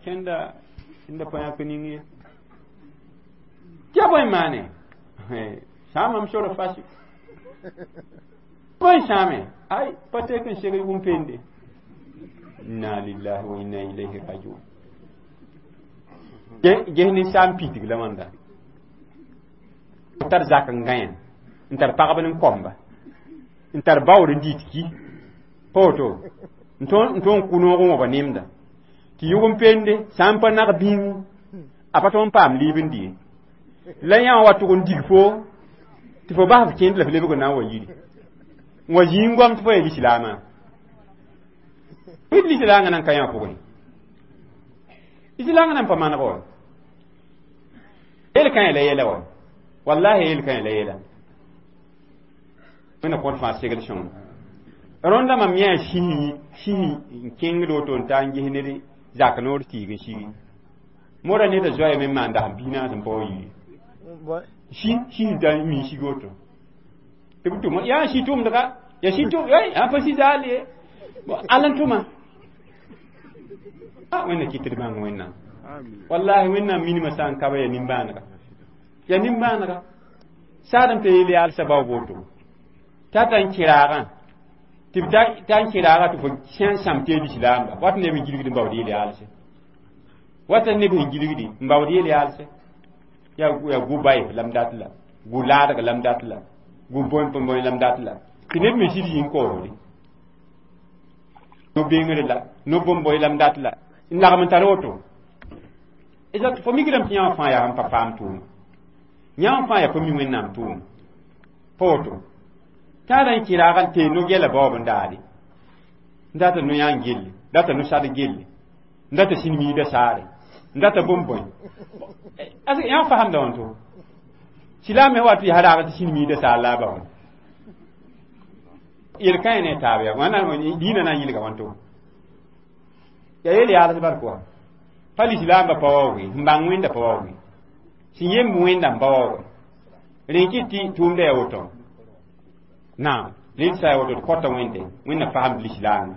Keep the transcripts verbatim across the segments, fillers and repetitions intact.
Kẽnda sẽnda pa yãk ning ye tɩ ya bõe n maane sãamam sora fasi bõe sãame ay pa tek n seg yʋgm pende. Inna lillahi wa inna ilayhi rajiun. Ges ninsaam pitg la wãnda tar zak n gãyã n tar pagb n komba n tar baood n dɩt ki pa woto n tõog n kʋ noog n wãba nemda tɩ yʋgm pende sã n pa nag bĩngu a pa tõog n paam liib n dɩ la yã wa tʋg n dig fo tɩ fo bas f kẽnd la f lebg n na n wa yiri n wa zĩig goam tɩ fo ya lislaamã b lislaangã nan ka yã pʋgẽ lislaangã nan pa maneg wa yel kã la yɛla wa wallahi yel kã la yɛla wẽnna kõt fãa segl sõng rõnda mam yã sisi sisi n kẽngd woto n ta n ges ned zak noor tiig n sigi mora neda zoaya me maan dasem biig naas n pa wa yiri si si n ta mi sig woto tɩ b tʋm yaa si tʋmdga ya si tʋm a pa si zaal ye all n tʋma wẽnna kɩt tɩ d bãng wẽnnaam wallahi wẽnnaam minimã sã n ka ba ya nimbãanega ya nimbãanega saad n pa yeel yaalsã bao boto t'a ta n kɩraagã tɩ b ta n kɩraaga tɩ fo sã n sãm tɩ ya lislaamba wat neb n gilgd n baood yeel yaalse wata neb sẽn gilgdi n baood yeel yaalse ya ya gu bay lam dat la gu laadg lam dat la gu bõe bõe lam dat la tɩ neb me sɩd yĩn koosde no bengre la no bõn-bõe lam dat la n lagm n tar woto exact fo migrame tɩ yãwã fãa yaa n pa paam tʋʋma yãwã fãa yaa pa mi wẽnnaam tʋʋma pa woto tãada n kɩraag n tee no-gɛla baoob n daade n data no-yãan gelle data no-sad gelle n data sĩn-miida saare n data bõn-bõe yãw fasamda wãnto silaam me wa tɩ yaa raag tɩ sĩn-miida saar la a bao yel-kãe ne taab ya wãna dĩinã na n yɩlga wãnto ya yel yaals bal pʋga pa lislaambã pa waooge n bãng wẽnda pa waooge sẽn yemb wẽnda n pa waooge rẽ kɩt tɩ tʋʋmda ya woto naam rẽ sa ya woto d kõta wẽnde wẽnna fasemd lislaamã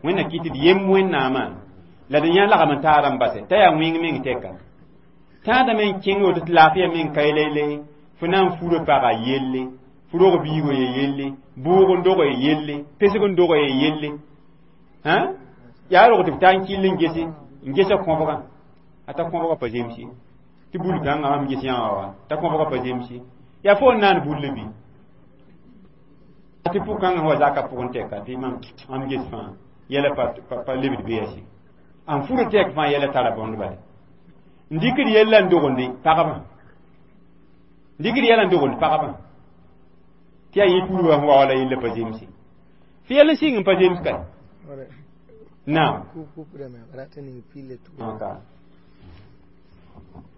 wẽnna kɩt d yemb wẽnnaamã la d yã lagm n taara n base t'a yaa wẽng meng tɛka tãadame n kẽng woto tɩ laafɩya meng ka yele fo na n fura paga yelle fo rog biigo ye yelle bʋʋg n dog ye yelle pesg n dog ye yelle yaa rog tɩ b taa n kɩll n gese n gesa kõbgã a ta kõbgã pa zemse tɩ bul kãngã mam ges yãwã wa t'a kõbgã pa zemse yaa fo n naan bulle bɩ tɩ pʋg-kãngã wa zaka pʋgẽ tɛka tɩ mam mam ges fãa yɛla pa lebd bease n fura tɛk fãa yɛla tara bõnd bale n dɩkd yella n dogende pagba n dɩkd yɛla n dogend pagba tɩ yaa yẽ tuurba sẽn wa wala yella pa zemse fɩ yɛl n sɩng n pa zems ka naam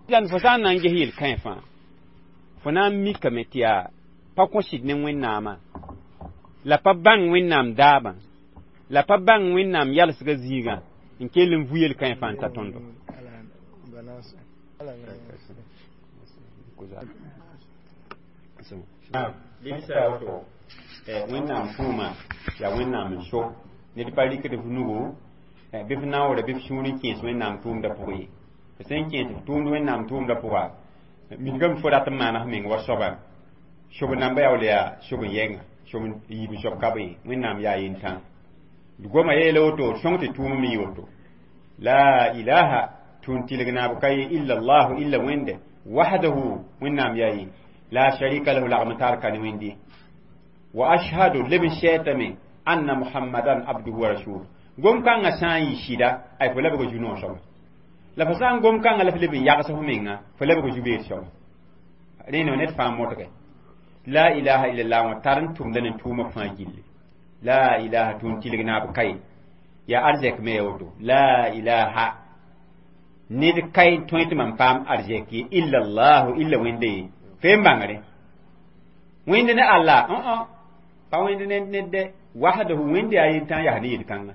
lan fo sã n na n ges yel-kãe fãa fo na n mikame tɩ yaa pa kõ sɩd ne wẽnnaamã la pa bãng wẽnnaam daabã la pa bãng wẽnnaam yalsgã zĩigã n kell n vu yel-kãe fãa n ta tõndo wẽnnaam tʋʋma yaa wẽnnaam n so ned pa rɩkd f nugu bɩ f naoore bɩ f sũur n kẽes wẽnnaam tʋʋmdã pʋgẽ ye f sẽn kẽes f tʋʋmd wẽnnaam tʋʋmdã pʋga mingame fo rat n maana f meng wa soaba sob namba yaool yaa sob n yɛnga sob n yiib n soab ka be ye wẽnnaam yaa yentã d goma yeela woto d sõng tɩ tʋʋm me yɩ woto la ilaha tʋʋn tɩlg naab ka ye illa llahu illa wẽnde wahdahu wẽnnaam yaa ye la sharika lahu lagm taar ka ne wẽnde wa ashhadu leb n sɛɛtame anna muhammadan abduhu wa rasuluhu gom kãngã sã n yɩ sɩda ay fo labg zu-noog soaba la fo sã n gom kãngã la f leb n yags fo menga fo labg zu-beed soaba rẽnd ned fãa modge la ilaha illallah wã tar n tʋmda ne tʋʋmã fãa gilli la ilaha tʋʋn tɩlg naab ka ye yaa arzɛk me ya woto la ilaha ned ka n tõe tɩ mam paam arzɛk ye illa llahu illa wẽnde ye fo n bãngre wẽnd ne Allah pa wẽnd ne ned de wahdahu wẽnde yaa yentã yaa ne yel-kãnga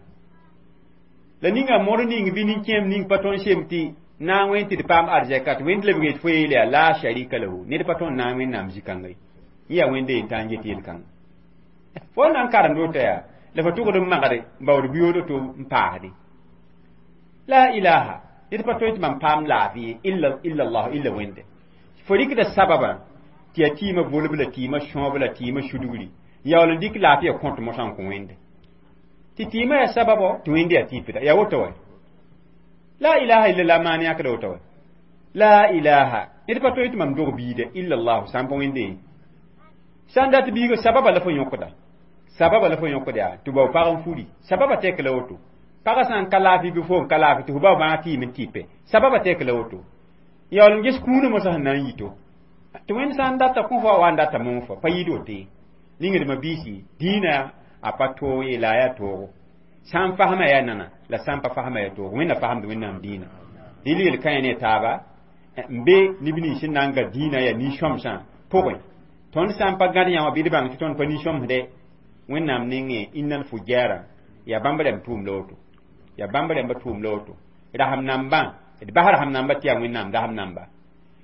la ninga mor ning bɩ nin-kẽem ning pa tõnd sem tɩ na n wẽnd tɩ d paam arzɛka tɩ wẽnd lebg yet fo yeele yaa la sharika lahu ned pa tõnd na n wẽnnaam zĩ-kãnga ye yẽ yaa wẽnde yentã n get yel-kãnga fo na n karemd woto yaa la fo tʋgd n magde n baood biyoodo to n paasde La ilaha ned pa tõe tɩ mam paam laafɩ illa illa allah illa Wẽnde. Fo rɩkda sababã tɩ yaa tɩɩmã volb la tɩɩmã sõab la tɩɩmã sudgri yaool n dɩk laafɩya kõt mosã n kõ Wẽnde tɩ tɩɩmã yaa sababɔ tɩ Wẽnde yaa tɩpda yaa woto wɛ. La ilaha illallah maan yãkda woto wɛ. La ilaha ned pa tõe tɩ mam dog biida illa allah sã n pa Wẽnde sã n dat biiga sababa la fo yõkda sababa la fo yõkda yaa tɩ bao pag n furi sababa tek la woto pagã sã n ka laafɩ bɩ fo n ka laafɩ tɩ fo bao bãag tɩɩm n tɩpe sababa tek la woto yaool n ges kũunã mosã sẽn na n yito tɩ Wẽnd sã n data kõ fo wa n data mong fo pa yɩɩd woto ye ningdmã biisi dĩinã a pa toog ye la a yaa toogo sã n fasma yaa nana la sã n pa fasma yaa toogo Wẽnna fasemd Wẽnnaam dĩinã rɩl yel kãe ne taaba n be neb nins sẽn na n ga dĩinã yaa nin-sõmsã pʋgẽ tõnd sã n pa gãd yã wã bɩ d bãng tɩ tõnd pa nin-sõmsde Wẽnnaam nengẽ innal fujara yaa bãmb rãmb tʋʋm la woto yaa bãmb rãmba tʋʋm la woto rasem nambã d bas rasem namba tɩ yaa Wẽnnaam rasem namba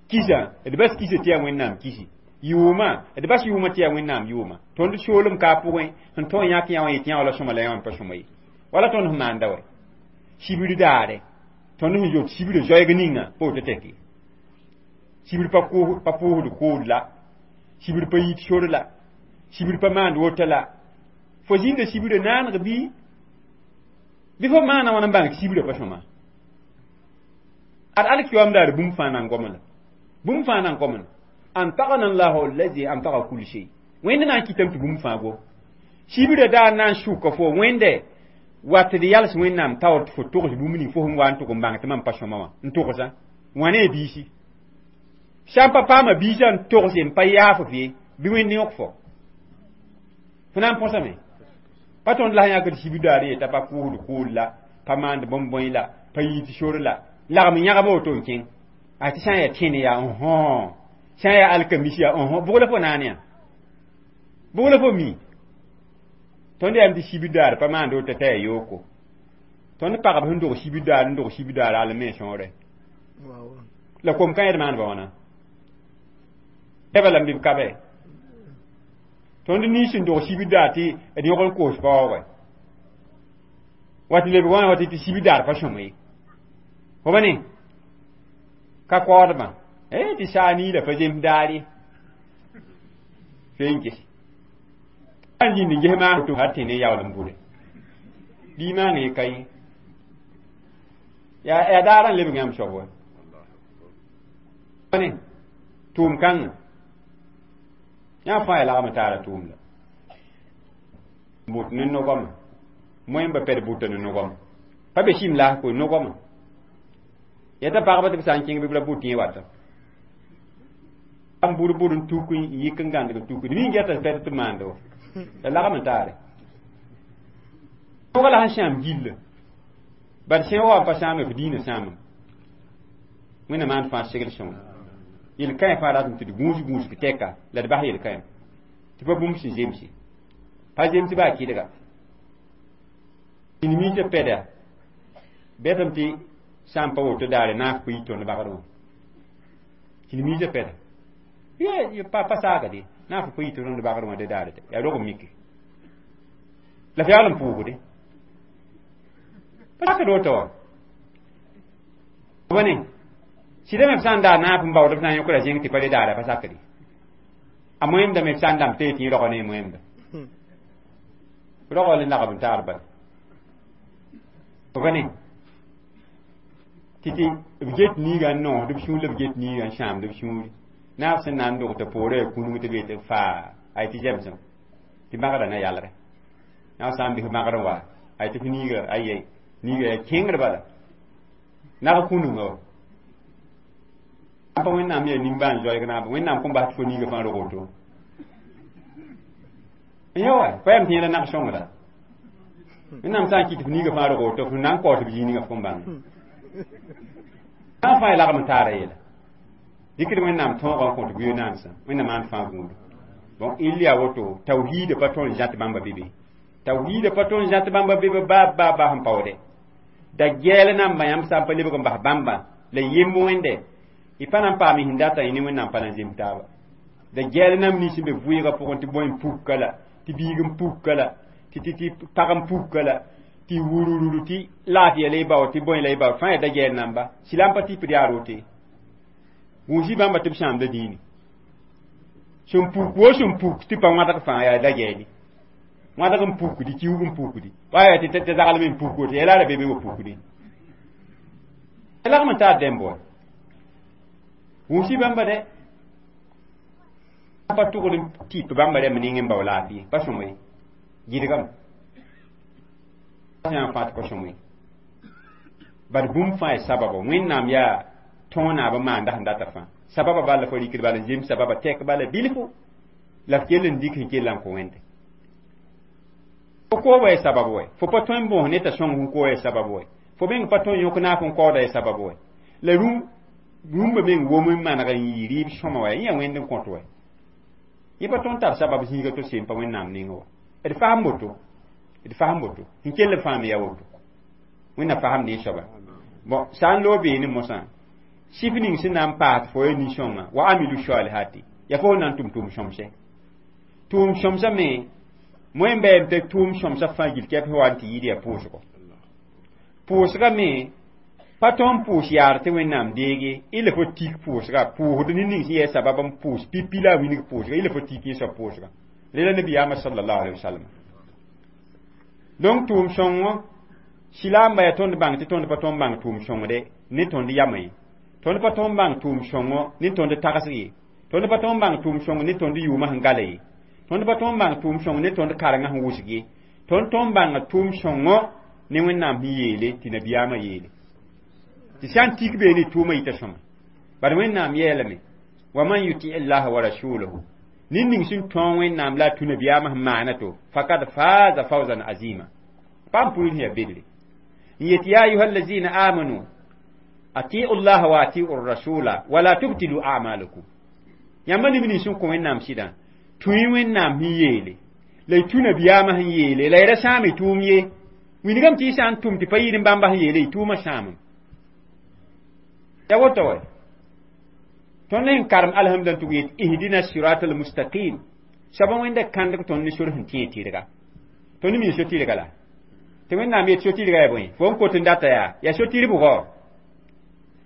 kisa d bas kisa tɩ yaa Wẽnnaam kisi yʋʋmã d bas yʋʋmã tɩ yaa Wẽnnaam yʋʋma tõnd soolem ka a pʋgẽ sẽn tõe n yãk yã wã yetɩ yã wã la sõma la yã wã n pa sõma ye wala tõnd sẽn maanda wɛ sibr daare tõnd sẽn yot sibra zoɛɛg ninga pa woto tɛk ye sibr pa pa pʋʋsd kood la sibr pa yit sor la sibr pa maand woto la fo zĩnda sibra naaneg bɩ bɩ fo maana wãna n bãng tɩ sibra pa sõma ad alkiyoam daare bũmb fãa na n gom la bũmb fãa na n gomna antagana llahu allazi antaga kul shay Wẽnd na n kɩtame tɩ bũmb fãa go sibra daar na n sʋka fo Wẽnde wat d yals Wẽnnaam taoor tɩ fo togs bũmb ning fo sẽn wa n tʋg n bãng tɩ mam pa sõma wã n togsã wã ne biisi sã n pa paama biisã n togse n pa yaaf f ye bɩ Wẽnd yõk fo fo na n põsame pa tõnd la sẽn yãkd sibr daar yeta pa kʋʋsd kood la pa maand bõn-bõe la pa yit sor la lagm yãgb woto n kẽng a tɩ sã n yaa tẽne yaa õ sã n yaa alkamis yaa õ bʋg la fo naan yã bʋg la fo mi tõnd yaam tɩ sibr daar pa maand woto t'a yaa yooko tõnd pagb sẽn dog sibr daar n dog sibr daar al me sõore la kom kã d maandba wãna bala n bɩ b ka bɛ tõnd nins sẽn dog sibr daar tɩ d yõg n koos paoogɛ wa tɩ lebg wãna wa tɩ tɩ sibr daar pa sõma ye fo ba ne ka koodmã eh tɩ saa niila pa zems daar ye fe n ges n zĩnd n ges maan to har tẽ ne yaool n bʋre bii maang ye ka yẽ yaa daar n lebg yãmb soab wa ne tʋʋm kãngã yã fãa yaa lagm taara tʋʋm la bʋt ne nogame moẽmba pɛd bʋta ne nogame pa be sim laas koe nogame yeta pagba tɩ b sã n kẽng bɩ b ra bʋt yẽ wata n bʋr bʋr n tuk n yik n gãndg n tuk d mi n gɛta pɛd tɩ maanda wa la lagm n taare pʋga la sẽn sãam gilla bad sẽn wa n pa sãame f diinã sãamem Wẽnna maan fãa segl sõng yel kãe fãa ratame tɩ d gũus gũusg tɛka la d bas yel kãe tɩ pa bũmb sẽn zemse pa zems baa kɩdga nimiisã pɛda bɛtame tɩ sã n pa woto daare naaf pa yi tõnd bagd wã nimiisã pɛda pa pa saagde naaf pa yi tõnd bagd wã de daare yaa rog n mike la f yaool n pʋʋsde pa sakd woto wã ba ne sɩda me b sã n daar naaf n baood b na n yõkra zẽng tɩ pa le daara pa sakde a moẽmda me b sã n dãmb tɩ tɩ rog ne moẽmda rogl n lagb n taar bala ba ne tɩ tɩ b get niiga n noosd b sũur la b get niiga n sãamd b sũuri naaf sẽn na n dog t'a poorã yaa kũnug tɩ b yetɩ faa ay tɩ zemsem tɩ magrã na yalre yã sã n bɩs magrã wa ay tɩ f niiga aye niiga yaa kẽngr bala nag kũnunga wa pa Wẽnnaam yaa nimbãan zoɛɛg naaba Wẽnnaam kõn bas tɩ fo niiga fãa rog woto ya wa pa yam tɩ yẽla nag sõngra Wẽnnaam sã n kɩt f niiga fãa rog woto f na n kaoos b zĩig ninga f kõn bãng sã n fãa ya lagm n taara yɛla dɩkd Wẽnnaam tõogã n kõt bʋyo-naandsã Wẽnnaam maan fãa gũudu bon il yaa woto tawhiida pa tõnd zãt bãmba be be tawhiida pa tõnd zãt bãmba be be ba ba ba sẽn paoode da gɛɛl namba yãmb sã n pa lebg n bas bãmba la yemb Wẽnde y pa na n paam sẽn data y ne Wẽnnaam pa na n zems taaba da gɛɛl nam nins sẽn be vʋɩɩgã pʋgẽ tɩ bõe n pukka la tɩ biig n pukka la tɩ tɩ tɩ pag n pukka la Tɩ wurururu tɩ laafɩya la y bao tɩ bõe la y bao fãa yaa da gɛɛl namba silam pa tɩ p yaa rote gũusi bãmba tɩ b sãamda dĩini sẽn puk wo sẽn puk tɩ pa wãdg fãa yaa da gɛɛli wãdg n pukdi kiug n pukdi wa yaa tɩ tɩ zaglem n puk woto yɛla ra be be wa pukdi lagm n taar dẽmb wa gũusi bãmba dɛ pa tʋgd n tɩp bãmba rɛmb ning n bao laafɩ pa sõmo ye gɩdgame yã fãa tɩ pa sõmo ye bad bũmb fãa ya sababa wẽnnaam yaa tõog naab n maanda sẽn data fãa sababa bala la fo rikd bala n zems sababa tɛk bala bilfu la f kell n dik sẽn kell n kõ wẽnde fo koobã ya sabab wɛ fo pa tõe n bõos ne t'a sõng n koo ya sabab wɛ fo meng pa tõe n yõk naaf n kaooda ya sabab wɛ la rũm rũmbã meng wom n maneg n yɩ rɩɩb sõma wɛ yẽ yaa wẽnd n kõt wɛ yẽ pa tõnd tar sabab zĩiga to sem pa wẽnnaam nengẽ wa d fasem woto d fasem woto n kell n fãam ya woto wẽnna fasem ne soaba bon sã n loog beene mosã sif ning sẽn na n paas fo ya nin-sõnga wa amilu salihati ya fo na n tʋm tʋʋm sõmsɛ tʋʋm sõmsã me moẽ bɛɛm tɩ tʋʋm sõmsã fãa gil kɛp wa n tɩ yɩɩd yaa pʋʋsgo pʋʋsga me pa tõnd pʋʋs yaar tɩ wẽnnaam deege y la fo tik pʋʋsga pʋʋsd ne ning sẽn yɛ sabab n pʋʋs pipi la a wilg pʋʋsga y la fo tik yẽ soab pʋʋsga rela nabiyaamã sallallahu alaihi wasallam donc tʋʋm sõngo silaamba yaa tõnd bãng tɩ tõnd pa tõnd bãng tʋʋm sõngde ne tõnd yamã ye tõnd pa tõnd bãng tʋʋm sõngo ne tõnd tagsg ye tõnd pa tõnd bãng tʋʋm sõngo ne tõnd yʋʋmã sẽn gala ye tõnd pa tõnd bãng tʋʋm sõngo ne tõnd karengã sẽn wʋsg ye tõnd tõnd bãnga tʋʋm sõngo ne wẽnnaam sẽn yeele tɩ nabiyaamã yeele tɩ sã n tik beene tʋʋmã yita sõma bad wẽnnaam yeelame wa man yuti llaha wa rasulahu ned ning sẽn tõog wẽnnaam la a tũ nabiyaamã sẽn maana to fakad faaza fawzan azima paam pʋʋr sẽn yaa bedre n yet ya ayuha allazina amanu atiu llaha wa atiu rasula wala tubtilu amalakum yãmba neb nins sẽn kõ wẽnnaam sɩdã tũ-y wẽnnaam sẽn yeele la y tũ nabiyaamã sẽn yeele la y ra sãam y tʋʋm ye wilgame tɩ y sã n tʋm tɩ pa yɩɩd n bãmba sẽn yeele y tʋʋmã sãamem ya woto wɛ tõnd sẽn karem alhamda n tʋg yet ihdina sirat almustaqim soaba wẽnda kãndg tõnd ne sor sẽn tẽ tɩrga tõnd mi so tɩrga la tɩ wẽnnaam yet so-tɩrga yaa bõe fo n kot n data yaa yaa so-tɩr bʋgɔ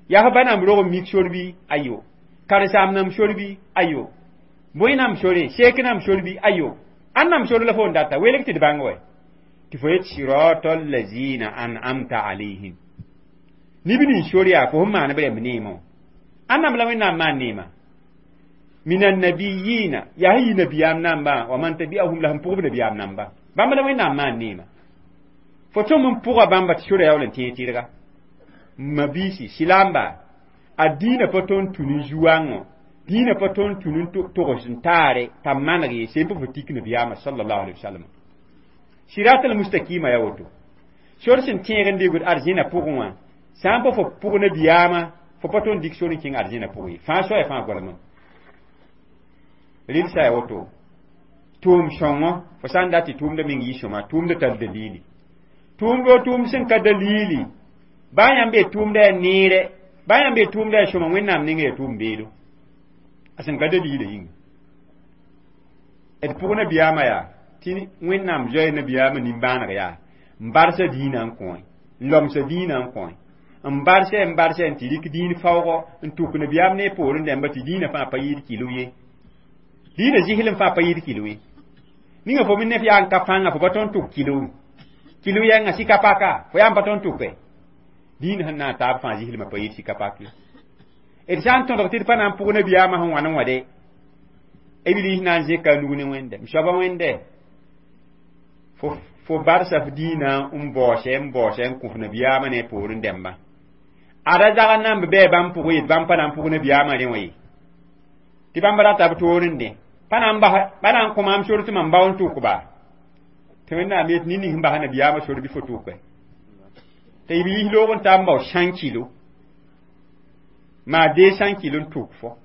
yaa f ba namb rog n mik sor bɩ ayo karen-saam namb sor bɩ ayo bõe namb sore seek namb sor bɩ ayo ãn namb sor la fo n data welg tɩ d bãng wɛ tɩ fo yet sirata allazina an'amta alayhim neb nins sor yaa fo sẽn maan b rɛmb neemã ãn namb la wẽnnaam maan neema min annabiyina yaa sẽn yi nabiyaam namba wa man tabi'ahum la sẽn pʋgb nabiyaam namba bãmb la wẽnnaam maan neema fo tõm n pʋga bãmba tɩ sora yaool n tẽeg tɩrga mabiisi silaamba a dĩinã pa tõnd tũ ne zu-wãngõ dĩinã pa tõnd tũ ne togs n taare t'a maneg ye sẽn pa fo tik nabiyaamã sallallahu alaihi wasallam sirat almustakima ya woto sor sẽn tẽeg n degd arzẽna pʋgẽ wã sã n pa fo pʋg nabiyaamã fo pa tõnd dik sor n kẽng arzẽna pʋgẽ ye fãa soaya fãa goamã rɩlsa ya woto tʋʋm sõngo fo sã n dat tɩ tʋʋmda meng yɩ sõma tʋʋmda tar dalili tʋʋmdo tʋʋm sẽn ka dalili baa yãmb be tʋʋmda yaa neere baa yãmb be tʋʋmda yaa sõma wẽnnaam nengã yaa tʋʋm beelo a sẽn ka dalila yĩnga d pʋg nabiyaamã yaa tɩ wẽnnaam zoɛɛ nabiyaamã nimbãaneg yaa n barsa dĩinã n kõ n lomsa dĩinã n kõ n barsɛ n barsɛ n tɩ rɩk dĩin faoogɔ n tʋk nabiyaam ne poorẽ dãmba tɩ dĩinã fãa pa yɩɩd kilo ye dĩinã zɩslem fãa pa yɩɩd kilo ye ninga fo me nef yaa n ka pãnga fo pa tõnd tʋk kilo kilo yɛnga sika paka fo yaa n pa tõnd tʋke dĩin sẽn na n taab fãa zɩslmã pa yɩɩd sika pak ye d sã n tõdg tɩ d pa na n pʋg nabiyaamã sẽn wãn n wã de b rɩs na n zẽka a nug ne wẽnde m soaba wẽnde fo fo barsa f dĩinã n baoosɛ n baoosɛ n kõ f nabiyaamã ne poorẽ dẽmbã ada zag n namb bɛɛ bãmb pʋgẽ yet bãmb pa na n pʋg nabiyaamã rẽ wã ye tɩ bãmb rata b toor n dẽ pa na n bas pa na n kõ maam sor tɩ mam bao n tʋk ba tɩ wẽnnaam yet ned ning sẽn bas nabiyaamã sor bɩ fo tʋke tɩ b yis loog n taa n bao cent kilo maa deux cent kilo n tʋk fo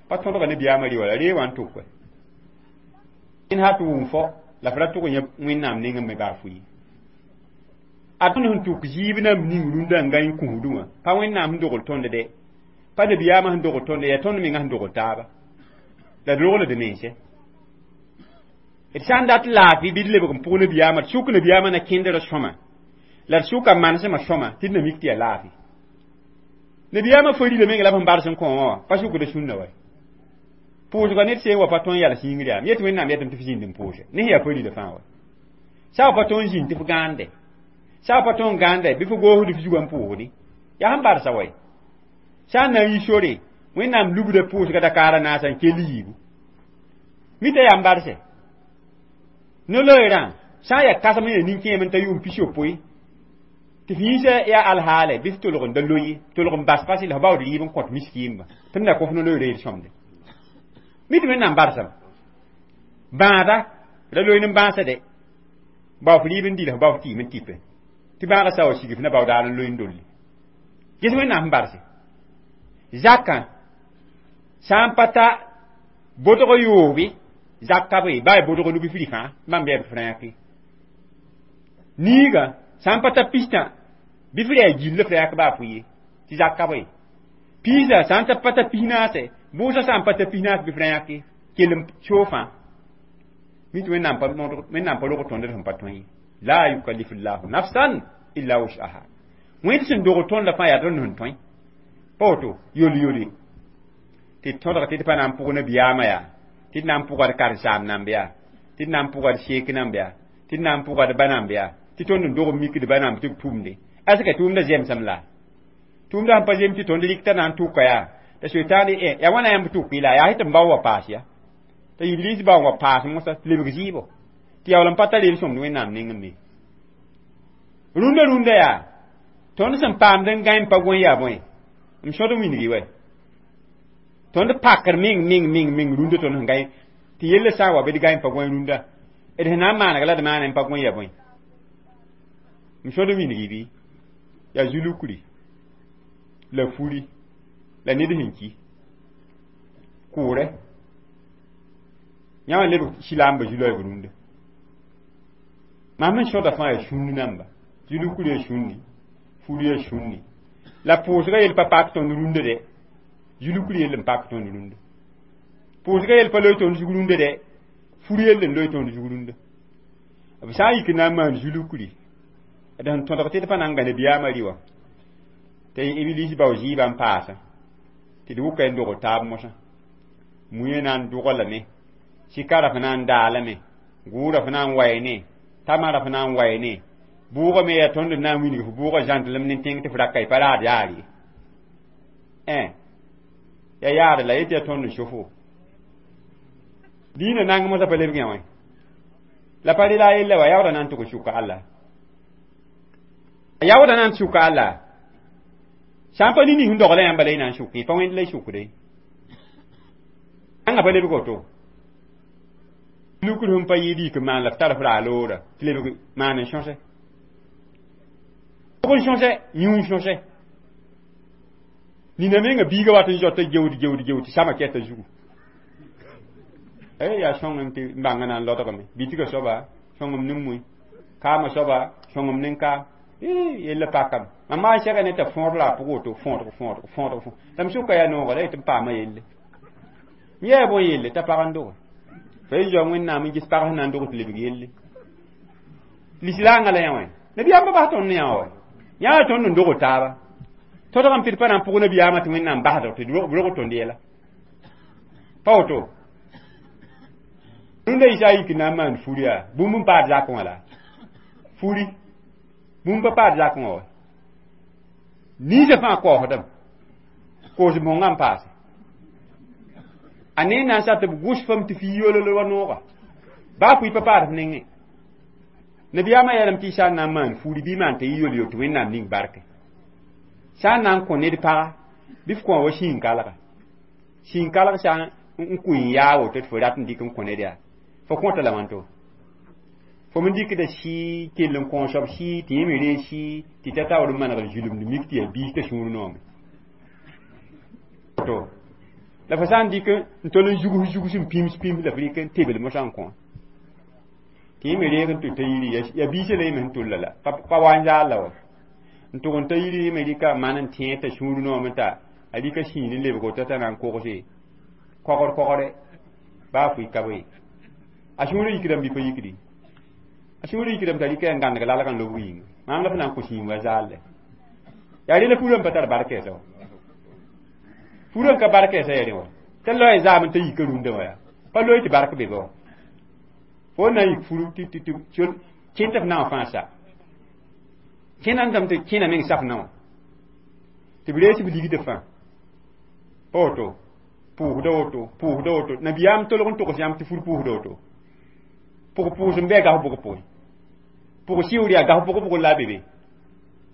pa tõdga nabiyaamã rɩ wala ree wã n tʋke n ha tɩ wʋm fo la f ra tʋg yẽ wẽnnaam nengẽ me baa fo ye a tõnd sẽn tʋk zɩɩb nam ning rũndã n gãe n kũsdẽ wã pa wẽnnaam sẽn dogl tõnd de pa nabiyaamã sẽn dogl tõnd yaa tõnd menga sẽn dogl taaba la d rogld mense D sã n dat laafɩ bɩ d lebg n pʋg nabiyaamã d sʋk nabiyaamã na kẽndrã sõma la d sʋka manesmã sõma tɩ d na mik tɩ yaa laafɩ nabiyaamã farila menga la b sẽn bars n kõ wã wã pa sʋkda sũnna wa pʋʋsga ned seen wa pa tõe n yals yĩngr yaa m yet Wẽnnaam yetame tɩ f zĩnd n pʋʋse ne sẽn yaa farila fãa wa sã pa tõe n zĩnd tɩ f gãande sã pa tõe n gãande bɩ f goosd f zugã n pʋʋsdi yaa sẽn barsa wa sã n na n yi sore Wẽnnaam lubda pʋʋsga dakaarã naasa n kell yiibu mita yaa n barse no-loeerã sã n yaa kãsem n yaa nin-kẽem n ta yʋʋm pis-yopoe tɩ f yĩnsã yaa alhaale bɩ f tolg n da loye tolg n bas fasɩ la f baood rɩɩb n kõt miskiimba tɩ b na kõ f no-loeerã yel-sõmde mi tɩ Wẽnnaam barsame bãada ra loe ne bãasa de bao f rɩɩb n dɩ la f bao f tɩɩm n tɩpe tɩ bãagã sa wa sig f na bao daar n loe n dolli ges Wẽnnaam sẽn barse zakã sã n pa ta botg yoobe zak ka be baa botg nubi fri fãa bãmb yaa b frãyãke niigã sã n pa ta pistã bɩ f rɛɛ gill f rɛɛk baa fʋ ye tɩ zak ka be piisã sã n ta pa ta pis naase bʋʋsã sã n pa ta pis naas bɩ f rã-yãke kell n soog fãa mi tɩ Wẽnnaam pa Wẽnnaam pa rog tõnd d sẽn pa tõe ye la yukallifu llahu nafsan illa wus'aha wẽnd sẽn dog tõndã fãa yaa tõnd sẽn tõe pa woto yol-yole tɩ d tõdg tɩ d pa na n pʋg nabiyaamã yaa tɩ d na n pʋga d karen-saam namb yaa tɩ d na n pʋga d seek namb yaa tɩ d na n pʋga d ba namb yaa tɩ tõnd n dog n mikd ba namb tɩ b tʋmde aska tʋʋmda zemsem la tʋʋmda sẽn pa zem tɩ tõnd rɩk t'a na n tʋka yaa t'a soetãan yaa wãna yãmb tʋk la yaa tɩ m bao wa paas ya t'a iblis bao wa paas mosã tɩ lebg zɩɩbo tɩ yaool n pa tar yel-sõmd Wẽnnaam nengẽ me rũndã rũndã yaa tõnd sẽn paamd n gãe n pa gõe yaa bõe m sõd n wilgi wɛ tõnd pakr meng meng meng meng rũndã tõnd sẽn gãe tɩ yella sã n wa bɩ d gãe n pa gõe rũndã d sẽn na n maaneg la d maana n pa gõe yaa bõe m sõd n wilgi bɩ yaa zulukri la furi la ned sẽn ki kʋʋrɛ yãmb leb silaamba zu-loeeb rũndã mam n sõda fãa yaa sũnd namba zulukri yaa sũndi furi yaa sũndi la pʋʋsga yel pa pak tõnd rũndã dɛ zulukri yell n pak tõnd rũndã pʋʋsga yel pa loe tõnd zug rũndã dɛ furi yell n loe tõnd zug rũndã b sã n yik n na n maan zulukri d sẽn tõdg tɩ d pa na n gã nabiyaamã rɩ wã tɩ iblis bao zɩɩbã n paasã tɩ d wʋka n dogd taab mosã muẽ na n dʋga lame sɩkara f na n daalame gʋʋra f na n waene tamara f na n waene bʋʋga me yaa tõnd na n wilg f bʋʋga zãntlem ne tẽng tɩ f raka y pa raad yaar ye yaa yaar la yetɩ yaa tõnd n sofo diinã nang mosã pa lebg yã wã la pa rela a yella wa yaooda na n tʋg n sʋka alla yaooda na n sʋka alla sã n pa ning sẽn dogla yãmba la y na n sʋkẽ pa wẽnd la y sʋkde ãnga pa lebg woto lukr sẽn pa yɩɩd yik n maan la f tar f raa loora tɩ lebg maan n sõse b n sõse yũ n sõse nina menga biiga wat n zoata gewd gewd gewd tɩ sama kɛta zugu yaa sõngem tɩ n bãnga na n lodgame bitga soaba sõngem ne mui kaamã soaba sõngem ne kaam yella pakame mam maa n sɛga ne t'a fõod la a pʋg woto fõodg fõodg fõodg fõ la m sʋka yaa nooga la yetɩ m paama yelle m yaa bõe yelle t'a pag n doge fa y zoa Wẽnnaam n ges pag sẽn na n dog tɩ lebg yelle lislaangã la yã wã nabiyaam pa bas tõnd ne yã wa yã tõnd n dogd taaba tõdgame tɩ d pa na n pʋg nabiyaamã tɩ Wẽnnaam basdg tɩ b rog tõnd yɛla pa woto rũndã yɩ sã yik n na n maan furi yaa bũmb n paad zakẽ wã la furi bũmb pa paad zakẽ wã wa ninsã fãa kaoosdame koos bõngã n paase a ne na n sa tɩ b gʋs fam tɩ fi yolol wa nooga baa pʋɩ pa paad f nengẽ nabiyaamã yeelame tɩ y sã n na n maan furi bɩ maan t'a yɩ yol-yol tɩ Wẽnnaam ning barke sã n na n kõ ned paga bɩ f kõ wa sĩin-kalga sĩin-kalg sã n kʋɩ n yaa woto tɩ fo rat n dɩk n kõ ned yaa fo kõta la wãnto fo me dɩkda sɩ kell n kõ soab sɩ tɩ yẽ me reeg sɩ tɩ ta taoor n manegd zulumd mik tɩ yaa biis t'a sũur noome to la fo sã n dɩk n tol n zugs zugs n pims pims la f rɩk n tebl mosã n kõ tɩ yẽ me reeg n tʋ t'a yiri yaa biisã la yẽ me sẽn tolla la pa wa n zaal la wa n tʋg n ta yiri yẽ me rɩka maan n tẽ t'a sũur noome t'a a rɩka sĩin n lebg woto t'a na n kogse kogr kogre baa fʋɩ ka be A sũurã yikdame bɩ pa yikdi a sũurã yikdame t'a rɩka n gãndg lalg n lobg yĩnga maam la f na n kõ sĩim wa zaalle yaa rẽla furã n pa tar barkɛɛsã wa furã n ka barkɛɛsã ya rẽ wa t'a loe zaam t'a yika rũndã wã yaa pa loe tɩ bark be be wa fo na n yik furu tɩ tɩ kẽn tɩ f na wã fãa sa kẽna n dame tɩ kẽna meng saf na wã tɩ b rees b ligdã fãa pa woto pʋʋsda woto pʋʋsda woto nabiyaam tolg n togs yãmb tɩ fur pʋʋsda woto pʋg pʋʋs n bɩ a gas bʋg pʋgẽ pʋg sɩʋr yaa gas bʋg bʋg la a be be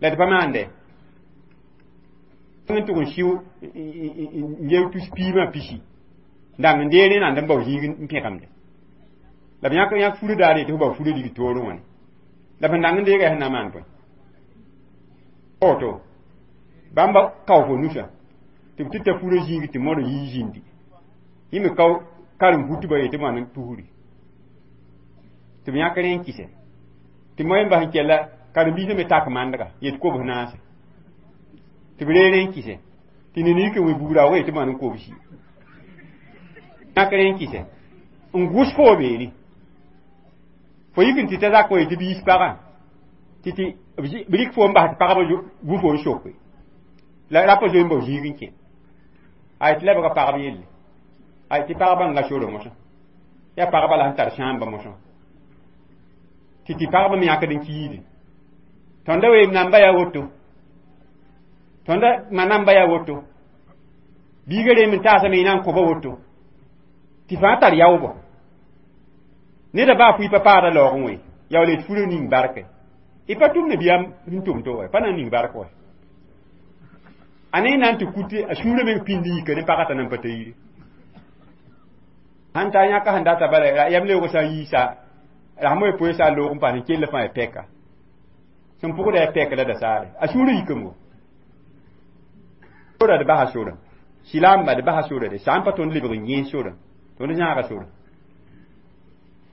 la d pa maande n tʋg n sɩʋ n yel tus piimã pisi dang n deer rẽnand n bao zĩig n pẽgemde la b yãk yãk furã daar yetɩ f bao furã lig toorẽ wã la b sẽn dang n deega sẽn na n maan bõe woto bãmba kao fo nusã tɩ b tɩ ta furã zĩig tɩ modg yii zĩndi yẽ me kao karem butbã yetɩ maan n tusri tɩ b yãk rẽ n kɩsɛ tɩ moẽ bas n kɛla karen-biisã me tak mandga yet kobs naase tɩ b reer n kɩsɛ tɩ ned yik n wẽ bugra wa yetɩ maan n kobsi yãk rẽ n kɩsɛ n gʋs fo beene fo yik n tɩ ta zak wa yetɩ biis pagã tɩ tɩ b rɩk fo n bas tɩ pagba gu fo n soke la rapa zoe n bao zĩig n kẽ ay tɩ lebga pagb yelle ay tɩ pagba n ga sora mosã yaa pagba la sẽn tar sãamba mosã tɩ tɩ pagba me yãkd n kiide tõnda weem namba yaa woto tõnda ma namba yaa woto biiga reem n taasame y na n kõba woto tɩ fãa tar yaoobɔ neda baa pʋɩ pa paada laoogẽ wẽ yaool d furã ning barke y pa tʋm nabiyaam sẽn tʋm to wa pa na n ning bark wa a ne na n tɩ kut a sũurã meng pĩnd yika ne pagã t'a nan pa ta yire sãn ta yãka sẽn data bala yam leoog sã n yiisa rasmã y poe sã n loog n paas n kell fãa y pɛka sẽn pʋgda ya pɛk la dasaare a sũurã yikame sora d basa sora silaamba d basa sora de sã n pa tõnd lebg n yẽes sora tõnd zãaga sora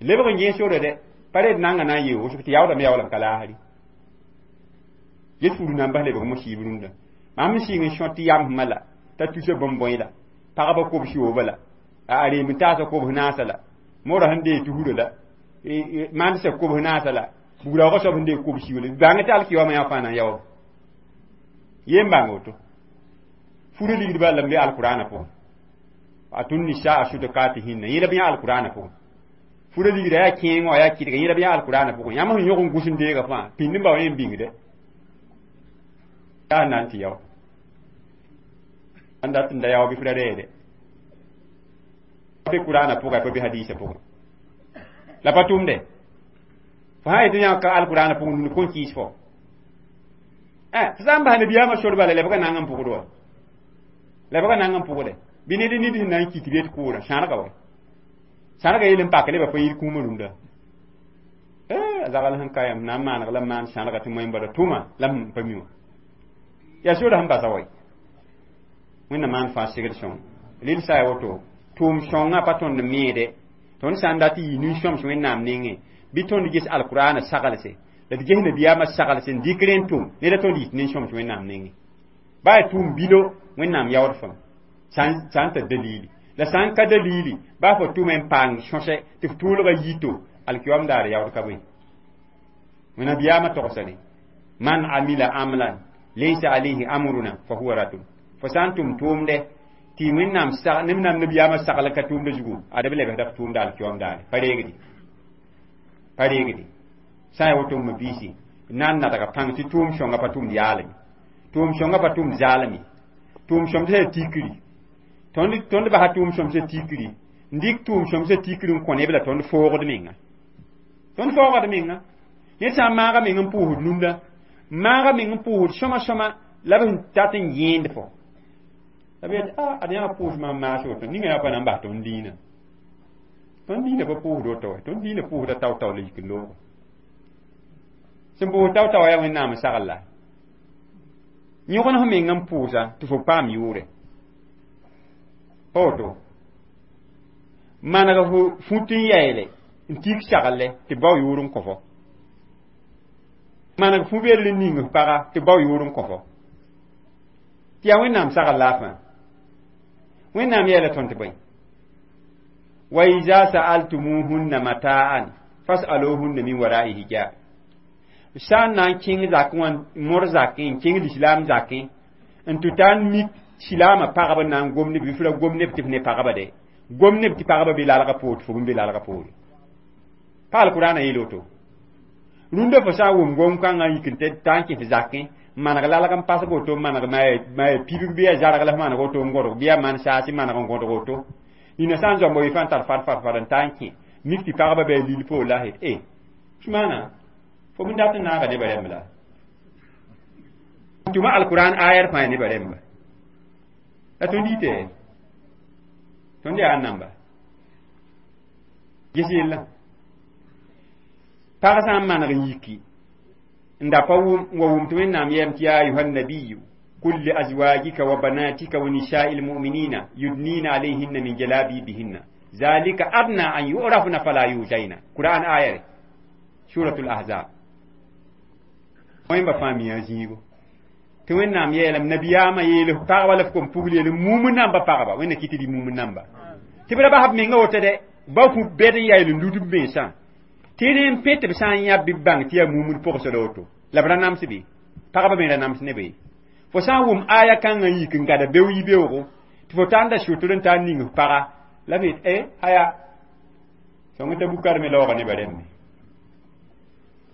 lebg n yẽes sora de pa red nanga na n yee wʋsg tɩ yaoodame yaool n ka laasri get furu na n bas lebg mosiib rũndã mam n sɩng n sõt tɩ yamsmã la t'a tusa bõn-bõe la pagba kobs yooba la a reem n taasa kobs naasa la mora sẽn dee tusrã la mandsa kobs naasa la bugraoogã soab sẽn dee kobs yoola bãng tɩ alkiyoamã yã fãa na n yaoog yem bãng woto furã ligdbã la n be alkurana pʋgẽ atun nisaa sudukatihinna yẽla b yã alkurana pʋgẽ furã ligda yaa kẽeng wã yaa kɩdga yẽla b yã alkurana pʋgẽ yãmb sẽn yõg n gʋs n deega fãa pĩnd n bao yẽ n bĩngde yaa na n tɩ yao n dat n da yao bɩ f ra reede be kurana pʋga pa be hadisa pʋgẽ la pa tʋmde fo sã yetɩ yã ka alkurana pʋgẽ nund kõn kɩɩs fo f sã n bas nabiyaamã sor bala lebga nang n pʋgd wa lebga nang n pʋgde bɩ ned nid sẽn na n kit bet kʋʋrã sãrga wa sãrga yel n pak lebã pa yir kũumã rũndã a zagal sẽn ka yãmb na n maaneg la maan sãrga tɩ moẽ bala tʋma la m pa mi wã yaa sora sẽn basa wa wẽnnaam maan fãa segd sõng rel sã ya woto tʋʋm sõngã pa tõnd meede tõnd sã n dat n yɩ nin-sõms wẽnnaam nengẽ bɩ tõnd ges alkurana saglse la d ges nabiyaamã saglse n dɩk rẽn tʋm neda tõnd yit nin-sõms wẽnnaam nengẽ baa yaa tʋʋm bilo wẽnnaam yaood fãa sã n tar dalili la sã n ka dalili baa fo tʋme n paang sõsɛ tɩ f tʋʋlga yito alkiyoam daar yaood ka bõe nabiyaamã togsã ne man amila amlan laysa alayhi amruna fa huwa raddun fo sã n tʋm tʋʋmdɛ tɩ wẽnnaam neb nabiyaamã sagl ka tʋʋmda zugu ad b lebsda f tʋʋmda alkiyoam daare pa reegdi pa reegdi sã n ya woto m biisi na n nadga pãng tɩ tʋʋm sõngã pa tʋmd yaalame tʋʋm sõngã pa tʋmd zaalame tʋʋm sõmsã yaa tikri tõnd tõnd basa tʋʋm sõmsã tikri n dɩk tʋʋm sõmsã tikri n kõ neb la tõnd foogd menga tõnd foogd menga ned sã n maaga meng n pʋʋsd nunda maaga meng n pʋʋsd sõma sõma la b sẽn tat n yẽend fo la b yet a ad yãga pʋʋs maam maas woto ninga yaa pa na n bas tõnd diinã tõnd diinã pa pʋʋsd woto wa tõnd diinã pʋʋsda tao-tao la yik n loogo sẽn pʋʋs tao-tao yaa wẽnnaam n sagl la yõgen f meng n pʋʋsa tɩ fo paam yʋʋre pa woto maneg fo fut n yaeele n tik sagle tɩ bao yʋʋr n kõ fo maneg fu bedr n ning f paga tɩ bao yʋʋr n kõ fo tɩ yaa wẽnnaam sagl la a fãa wẽnnaam yeela tõnd tɩ bõe Wa iza sa'altumuhunna mata'an fas'aluhunna min wara'i hijab. Sã n na n kẽng zakẽ wã mor zakẽ n kẽng lislaam zakẽ n tɩ ta n mik silaamã pagb n na n gom ne bɩ f ra gom neb tɩ f ne pagba de gom neb tɩ pagba be lalgã poor tɩ fo be lalgã poore pa alkurana yeel woto rũndã fo sã n wʋm gom-kãngã n yik n ta n kẽ f zakẽ n maneg lalg n pasg woto n maneg pibg bɩ yaa zarg la f maneg woto n gõdg bɩ yaa man saas n maneg n gõdg woto nina sã n zoamba wɩ fãa n tar far far far n ta n kẽ mik tɩ pagba bɩ a lil poor la s e Usmana fo m dat n naaga nebã rẽmb la tʋma alquran ayar fãa nebã rẽmba la tõnd yite tõnd yaa namba ges yella pag sã n maneg n yiki n da pa wʋm wa wʋm tɩ Wẽnnaam yɛɛm tɩ yaa ayuha nabiyu kul li azwajika wa banatika wa nisa'i lmuminina yudnina alayhinna min jalabibihinna zalika adna an yurafna fala yuzaina Qur'an ayare suratul ahzab wẽmba fãa miã zĩigo tɩ Wẽnnaam yeelame nabiyaamã yeel pagba la f kom pugl yeel mum namba pagba Wẽnna kɩ tɩ dɩ mum namba tɩ b ra bas b menga woto dɛ ba fũ bɛd n yaa yel n lud b mensã tɩ rẽ n pẽ tɩ b sã n yã bɩ b bãng tɩ yaa mumd pʋgsd woto la b ra nams bɩ pagba me ra nams ne be fo sã n wʋm aya kãngã n yik n gada beo yi-beoogo tɩ fo tar n da sʋtr n tar n ning f paga la b yet e aya sõng t'a bukar me laooga nebã rẽmbe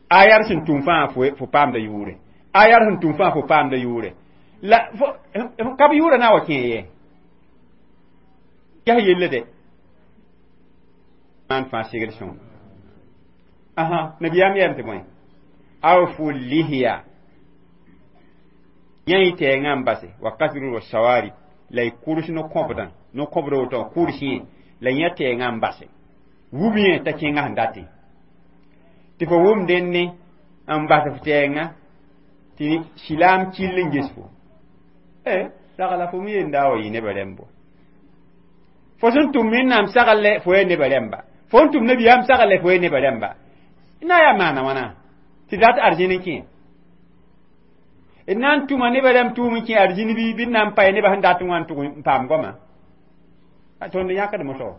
ayar sẽn tʋm fãa fo paamda yʋʋre ayar sẽn tʋm fãa fo paamda yʋʋre la ka b yʋʋra na wa kẽ ye ges yelle de maan fãa segd sõng aha nabiyaam yɛɛm tɩ bõe awfu lihiya yã y tɛɛngã n base wa kasru wa sawarib la y kʋrs no-kõbdã no-kõbd woto kʋrs yẽ la yã tɛɛngã n base wub yẽ t'a kẽngã sẽn datẽ tɩ fo wʋm dẽnne n bas f tɛɛngã tɩ silaam kill n ges fo e sagla fo me yenda wa yɩ nebã rẽmbo fo sẽn tʋm Wẽnnaam sagl fo yaa nebã rẽmba fo n tʋm nabiyaam sagl fo yaa nebã rẽmba na yaa maana wãna tɩ dat arzĩn n kẽ d na n tʋma nebã rãmb tʋʋm n kẽ arzĩn bɩ bɩ d na n pa nebã sẽn dat n wã n tʋg n paam goama tõnd yãkd moso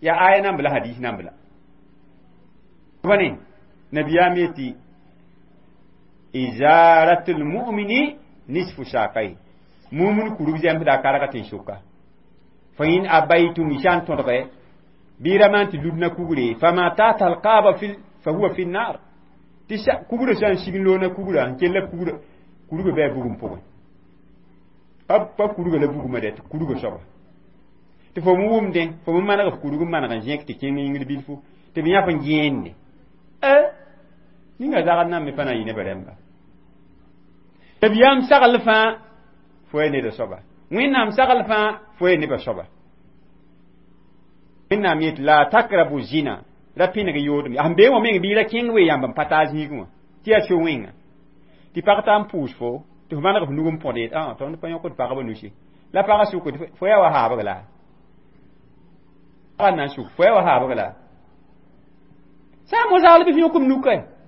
yaa aya namb la hadis namb la bõne nabiyaam yetɩ izaratul mu'mini nisfu saqai mumin kurug zɛmsda a karga tɩ n sʋka fa in abaytum sã n tõdge bɩ ra maan tɩ ludna kugre fama tata alqaba fa huwa fi nnar tɩ kugrã sã n sig n loona kugrã n kell kugrã kurgã bɩ a bugum pʋgẽ pa kurgã la bugumã dɛ tɩ kurgã soaba tɩ fo me wʋmdẽ fo me maneg f kurg n maneg n zẽk tɩ kẽng yĩngr bilfu tɩ b yãf n gẽende ninga zagd nan me pa na n yɩ nebã rẽmba nabiyaam sagl fãa fo yaa neda soaba Wẽnnaam sagl fãa fo yaa nebã soaba Wẽnnaam yet la takrabu zina ra pĩneg yoodem sẽn bee wã meng bɩ ra kẽng wee yãmb n pa taa zĩigẽ wã tɩ yaa so-wẽnga tɩ pag taa n pʋʋs fo tɩ f maneg f nug n põd yet tõnd pa yõkd pagba nusi la pagã sʋk fo yaa wa haabg la pagã na n sʋk fo yaa wa haabg la sã n mo-zaal bɩ f yõk m nuka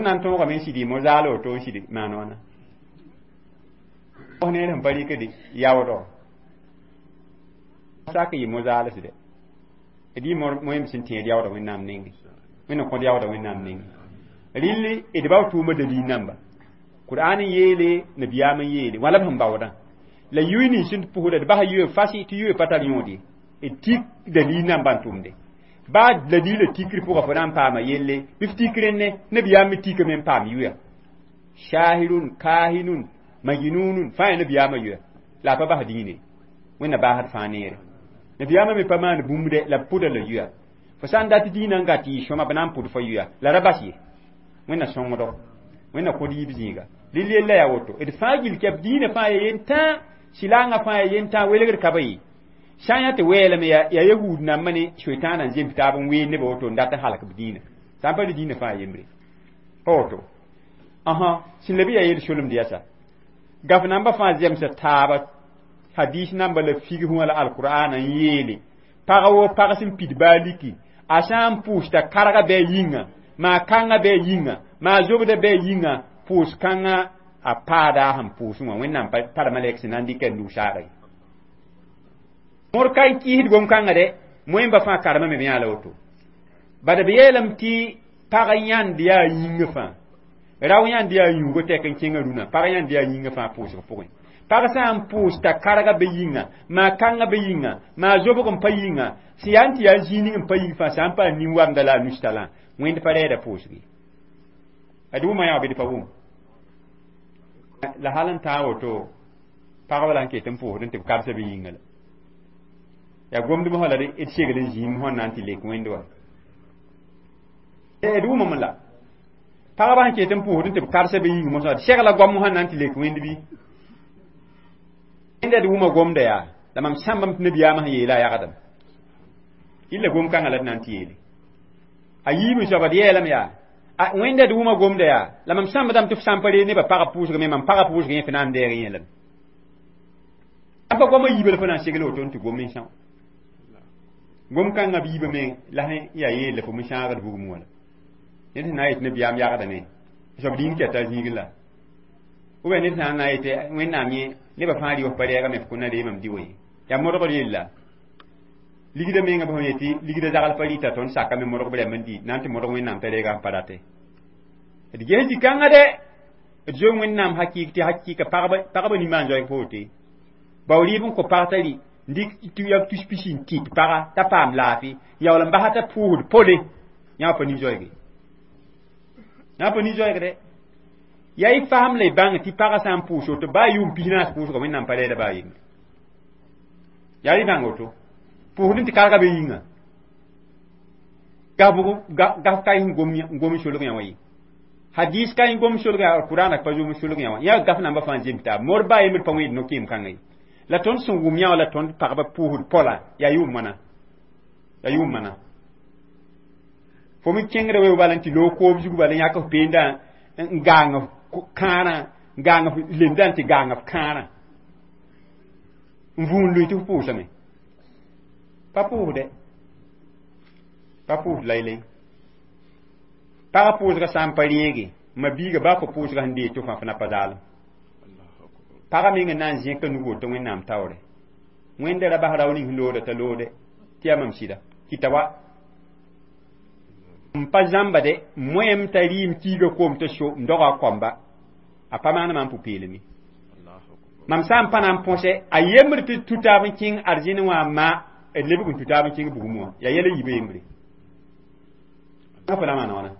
na n tõogame n sidi mo-zaal woto n sidi maan wãna neer sẽn pa rɩkd yaoodɔ sak yɩ mo-zaalsde d yɩ moẽm sẽn tẽed yaoodã Wẽnnaam nengẽ Wẽnnaam kõd yaoodã Wẽnnaam nengẽ rɩll d bao tʋʋma dalil namba Qur'an n yeele nabiyaam n yeele wã la b sẽn baoodã la yʋy nins sẽn pʋsda d basa yʋ fasi tɩ yʋ pa tar yõod ye d tik dalil namba n tʋmde baa dalila tikr pʋga fo na n paama yelle bɩ f tik rẽnne nabiyaam me tikame n paam yʋya shahirun kahinun majnunun fãa yaa nabiyaamã yʋya la a pa bas dĩine Wẽnna baasd fãa neere nabiyaamã me pa maan bũmb dɛ la b pʋda la yʋya fo sã n dat dĩinã n gat yɩ sõma b na n pʋd fo yʋya la ra bas ye Wẽnna sõngdo Wẽnna kõd yiib zĩiga rɩl yella yaa woto d fãa gill kɛp dĩinã fãa ya yentã silangã fãa ya yentã welgd ka ba ye sã n yaa tɩ weelame yaa yahud nambã ne soetãanã n zems taab n ween nebã woto n dat n halk b dĩinã sã n pa rɩ dĩinã fãa yembre pa woto ãhã sẽn leb yaa yel solemd yasa gaf namba fãa zemsa taaba hadis namba la figs wã la alqur'ana n yeele pag wo pag sẽn pid baa liki a sã n pʋʋsta karga bɩ a yĩnga maa kãngã bɩ a yĩnga maa zobda bɩ a yĩnga pʋʋs kãngã a paada sẽn pʋʋsẽ wã Wẽnnaam pa tara malɛk sẽn na n dɩka n nug saaga ye Mõr ka n kɩɩsd gom-kãngã dɛ moẽmba fãa karema me b yãa la woto bad b yeelame tɩ pag yãnd yaa yĩngã fãa rao yãnd yaa yũugo tɛk n kẽngã rũnã pag yãnd yaa yĩngã fãa pʋʋsg pʋgẽ pag sã n pʋʋs t'a karga be yĩnga maa kãngã be yĩnga maa zobg n pa yĩnga sẽn yaa n tɩ yaa zĩig ning n pa yĩng fãa sã n paam nin-wamda la a nus-talã wẽnd pa rɛɛda pʋʋsge ad wʋma yã bɩ d pa wʋm la hal n tãag woto pagba la n ket n pʋʋsd n tɩ b kabsa be yĩnga la yaa gomdb sã la d segl n zĩim sẽn na n tɩ lek wẽnd wa d wʋmame la pagba sẽn ket n pʋʋsd n tɩ b kabsa be yĩng mosã d segla goam sẽn na n tɩ lek wẽnd bɩ wẽnda d wʋma gomda yaa la mam sãmbame tɩ nabiyaamã sẽn yeela a yagdem illa gom-kãngã la d na n tɩ yeele a yiib soaba d yeelame yaa wẽnda d wʋma gomda yaa la mam sãmbdame tɩ f sã n pa reeg nebã pagb pʋʋsg me mam pagã pʋʋsg yẽ fo na n deeg yẽ lame sã pa goamã yiibã la fo na n segl woto n tɩ gom n são gom-kãngã b yiibã me la sẽn yaa yeel la fo me sãagd bugum wã la ned sẽn na n yet nabiyaam yagdame soab dĩin kɛta a zĩigẽ la ou bien ned sã n na n yetɩ wẽnnaam yẽ nebã fãa rɩ f pa rɛɛgame f kõ na reemame dɩ wã yaa modgr yella ligda menga bõe yetɩ ligda zagl pa rɩta tõnd sakame modg b rɛmb n dɩ na n tɩ modg wẽnnaam t'a reega n pa rate d ges zĩ-kãngã dɛ d zoe wẽnnaam hakɩɩk tɩ hakɩɩka pagba nimbãan zoeeg pa wote bao rɩɩb n kõ pag t'a rɩ n dɩk tɩ yaa tus pisi n tɩt paga t'a paam laafɩ yaool n basa t'a pʋʋsd pole yã pa nin-zoeege yã pa nin-zoeegde yaa y fasem la y bãng tɩ pagã sã n pʋʋs woto baa yʋʋm pis naas pʋʋsga wẽnnaam pa rɛɛda baa yembre yaa y bãng woto pʋʋsd n tɩ karga be yĩnga gaf ka n gom solg yã wã ye hadis ka n gom solg yã alqurana pa zom solg yã wã yã gaf namba fãa zems taab mor baa yembr pa wẽed no-keem kãngã ye la tõnd sẽn wʋm yã wã la tõnd pagba pʋʋsd pola yaa yʋʋm wãna yaa yʋʋm wãna fo me kẽngda wee bala n tɩ loog koob zug bala n yãk f peenda n gaang f kãarã n gaang f lemdã n tɩ gaang f kãarã n vũun lʋɩ tɩ f pʋʋsame pa pʋʋsdɛ pa pʋʋsd laylay pagã pʋʋsgã sã n pa rẽege ma biiga baa fo pʋʋsgã sẽn deeg tɩ fãa fo na pa zaalem pagã meng n na n zẽka nug woto wẽnnaam taoore wẽnda ra bas rao ning sẽn looda t'a loode tɩ yaa mam sɩda kɩta wa n pa zãmba de moẽm t'a rɩɩm kiiga koom t'a so n doga a koamba a pa maan maam pʋ-peelme mam sã n pa na n põse a yembr tɩ tu taab n kẽng arzẽn wã ma d lebg n tu taab n kẽng bugum wã yaa yɛla yiibã yembre fo la maana wãna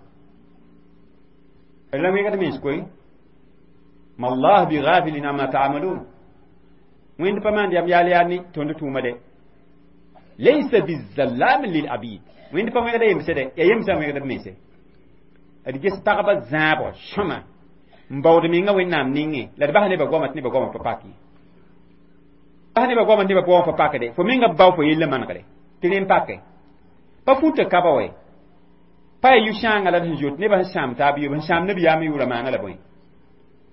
la wẽgd mens koe ma allah bi ghafilin amma ta'malun wẽnd pa maan yam yaal yaal ne tõnd tʋʋma de laysa bizallamin lil abid wẽnd pa wẽgda yemse de yaa yemsã wẽgd b mense d ges pagba zãabg sõma n baood menga wẽnnaam nengẽ la d bas nebã goama tɩ nebã goamã pa pak ye bas nebã goamã tɩ nebã goamã pa pakde fo menga bao fo yella manegre tɩ rẽ n pake pa futa kaba wɛ pa ya yʋ-sãangã la d sẽn zoet nebã sẽn sãam taab yʋ sẽn sãam nabiyaamã yʋʋra maana la bõe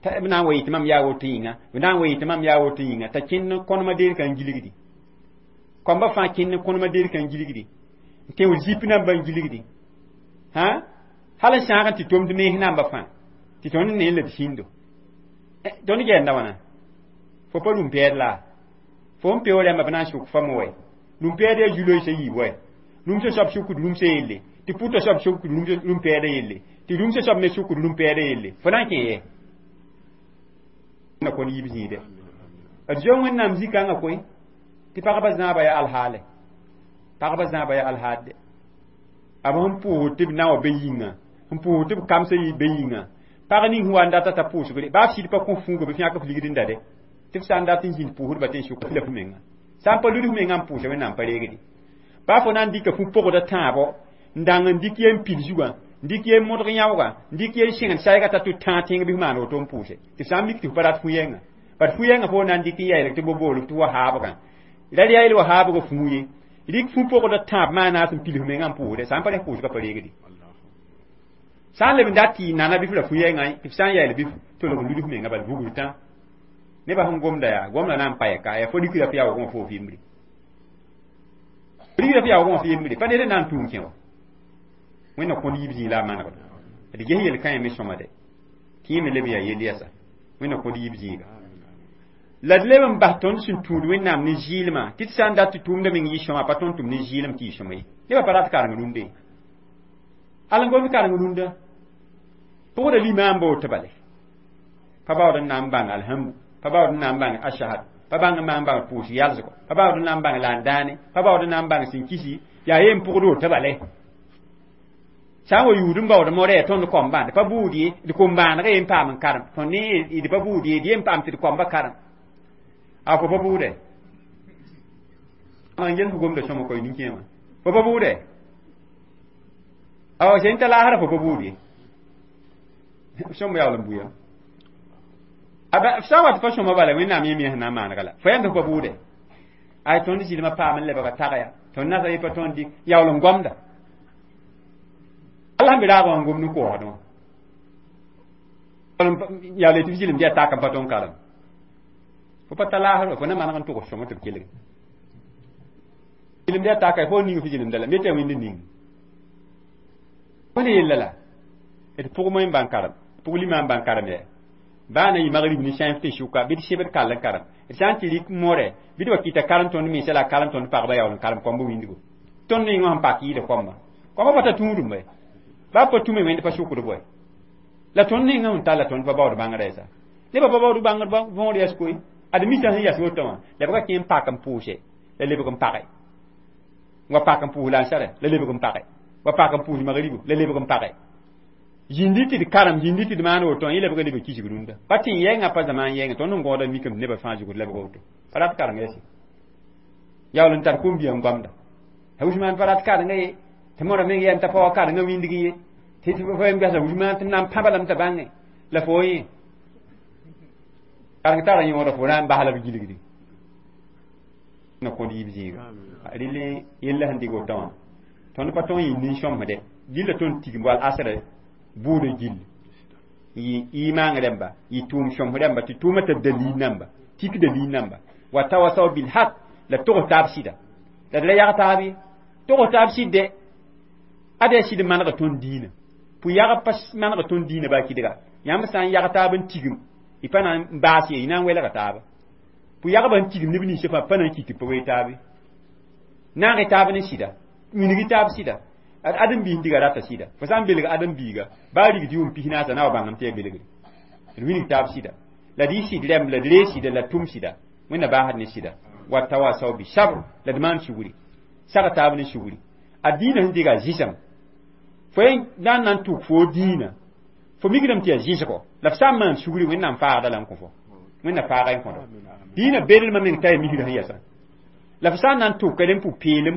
b na n wa yɩ tɩ mam yaa woto yĩnga b na n wa yɩ tɩ mam yaa woto yĩnga t'a kẽnd kõnema deer ka n gilgdi koamba fãa kẽnd kõnema deer ka n gilgdi n tẽo zip nambã n gilgdi hã hal n sãag n tɩ tomd mens namba fãa tɩ tõnd ne la d sĩndo tõnd gɛɛnda wãna fo pa rũm-pɛɛd la fo n peo rãmba b na n sʋk fam wɛ rũm-pɛɛd yaa zu-loeesã yiib wɛ rũmsã soab sʋkd rũmsã yelle tɩ pʋtã soab sʋkd rũm-pɛɛdã yelle tɩ rũmsã soab me sʋkd rũm-pɛɛdã yelle fo na n kẽ yɛ na kõn yiib zĩide d zoe wẽnnaam zĩ-kãngã koe tɩ pagba zãaba yaa alhaale pagba zãaba yaa alhaadde b sẽn pʋʋsd tɩ b na wã be yĩnga n pʋʋsd tɩ b kamsã be yĩnga pag ning sẽn wa n data t'a pʋʋsgre baa f sɩd pa kõ fũuga bɩ f yãk f ligd n da de tɩ f sã n dat n zĩnd pʋʋsdba tɩ n sʋk la f menga sã n pa lud f menga n pʋʋsa wẽnnaam pa reegdi baa fo na n dɩka fu pʋgda tãabo n dãng n dɩk yen pil zugã n dɩk yen modg yãooga n dɩk yen sẽngd saɛga t'a tɩ tãag tẽng bɩ f maan woto n pʋʋse tɩ f sã n mik tɩ f pa rat fu-yɛngã bad fu-yɛngã fo na n dɩk n yaelg tɩ bo boolg tɩ wa haabgã ra yael wa haabgã fũu ye rɩk fu pʋgda tãab maana sẽn pil f menga n pʋʋsde sã n pa rẽ pʋʋsgã pa reegdi sã n leb n dat tɩ y nana bɩ f ra fu-yɛngã tɩ f sã n yael bɩ f tolg n lud f menga bal vugr tã nebã sẽn gomda yaa gomda na n pa yɛka yaa fo rikra f yaoogẽ wã fo f yembre rikra f yaoogẽ wã f yembre pa ned n na n tũum kẽ wa wẽnna kõd yiib zĩig la a manegd d ges yel-kãe me sõma de tɩ yẽ me leb yaa yel yɛsa wẽnna kõd yiib zĩiga La d leb n bas tõnd sẽn tũud Wẽnnaam ne zɩɩlmã tɩ d sã n dat tɩ tʋʋmdã meng yɩ sõma pa tõnd tʋm ne zɩɩlem tɩ yɩ sõma ye nebã pa rat kareng rũndã ye al n gomd kareng rũndã pʋgda limaam ba woto bale pa baood n na n bãng alhamdu pa baood n na n bãng ashahad pa bãng n na n bãng pʋʋs yalsgo pa baood n na n bãng laan-dãane pa baood n na n bãng sẽn kisi yaa yen pʋgd woto bale sã n wa yuud n baood morɛ tõnd kõmbã d pa buud ye d kom-bãaneg ye n paam n karem tõnd ne d pa buud ye d yen paam tɩ d kõmba karem a fo pa buude n gels gomda sõma koy nin-kẽemã fo pa buude awa sẽn ta laasra fo pa buud ye sõm yaool n buya sã n wat pa sõma bala Wẽnnaam yẽ me sẽn na n maanega la fo yãmb fo pa buude ay tõnd zɩlmã paam n lebga tagya tõnd nasa ye pa tõnd dɩk yaool n gomda Allah n be raag wã n gom ne koosdẽ wã yaool tɩ f zɩlem tɩ yaa tak n pa tõnd karem fo pa ta laasr fo na maneg n tʋgs sõma tɩ b kelg zɩlem yaa taka fo ning f zɩlemda la me tɩ ya wẽnd ning pa ne yella la d pʋg moẽ bãn karem pʋg limam bãn karem yɛ baa na yɩ magrib ne sãenf tɩ sʋka bɩ d sebd kall n karem d sã n tɩ rɩk morɛ bɩ d wa kɩta karem tõnd mensa la karem tõnd pagba yaool n karem kõmb wĩndgo tõnd neng wã sẽn pak yɩɩda kõmba kõmba pa ta tũudum bɛ baa pa tũme wẽnd pa sʋkd bɔɛ la tõnd nengã sẽn talla tõnd pa baood bãngrã yɛsa nebã pa baood bãngr võor yɛs koe ad mita sẽn yas woto wã la b ka kẽ n pak n pʋʋse la lebg n page wa pak n pʋʋs lansarɛ la lebg n page wa pak n pʋʋs magribu la lebg n page zĩndi tɩ d karem zĩndi tɩ d maan woto yẽ lebg leb kisg rũndã pa tɩ n yɛngã pa zamaan yɛngã tõnd n gõoda mikame nebã fãa zugd lebg woto pa rat kareng yɛse yaool n tar kom-bia n goamda Usmaan pa rat karenga ye tɩ modã meng yɛm t'a pa wa karenga wĩndg ye tɩ tɩ fo yem gasa Usmaan tɩ na n pãba lame t'a bãnge la fo yẽ kareng tara yõoda fo na n bas la b gilgdi na kõd yiib zĩiga rɩl yella sẽn dɩg wotã wã tõnd pa tõn yɩ nin-sõmsde gilla tõnd tigim wall asra buudã gill yɩ imaang rãmba yɩ tʋʋm sõms rãmba tɩ tʋʋmã t'a dalil namba tik dalil namba wa tawasaw bil haq la togs taab sɩda la d ra yag taab ye togs taab sɩdde ad yaa sɩd manega tõnd diinã pʋ-yagb pa manega tõnd diinã baa kɩdga yãmb sã n yag taab n tigim y pa na n baas ye y na n welga taaba pʋ-yagbã n tigim neb ninsã fãa pa na n kɩt tɩ pa wee taabe naag taab ne sɩda wilg taab sɩda ad ãdem-biis diga rata sɩda fo sã n belg ãdem-biiga baa rigd yʋʋm pis naasã na wa bãngame tɩ yaa belgre d wilg taab sɩda la d yɩ sɩd rɛmb la d ree sɩda la tʋm sɩda Wẽnna baasd ne sɩda wa tawasaw bi sabr la d maan sugri sag taab ne sugri a diinã sẽn diga zɩsem fo na n na n tʋk fo diinã fo mikdame tɩ yaa zɩsgo la f sã n maan sugri Wẽnnaam faagda la n kõ fo Wẽnna faaga n kõdo diinã belmã meng t'a yaa misrã sẽn yɛsã la f sã n na n tʋka ne pʋ-peelem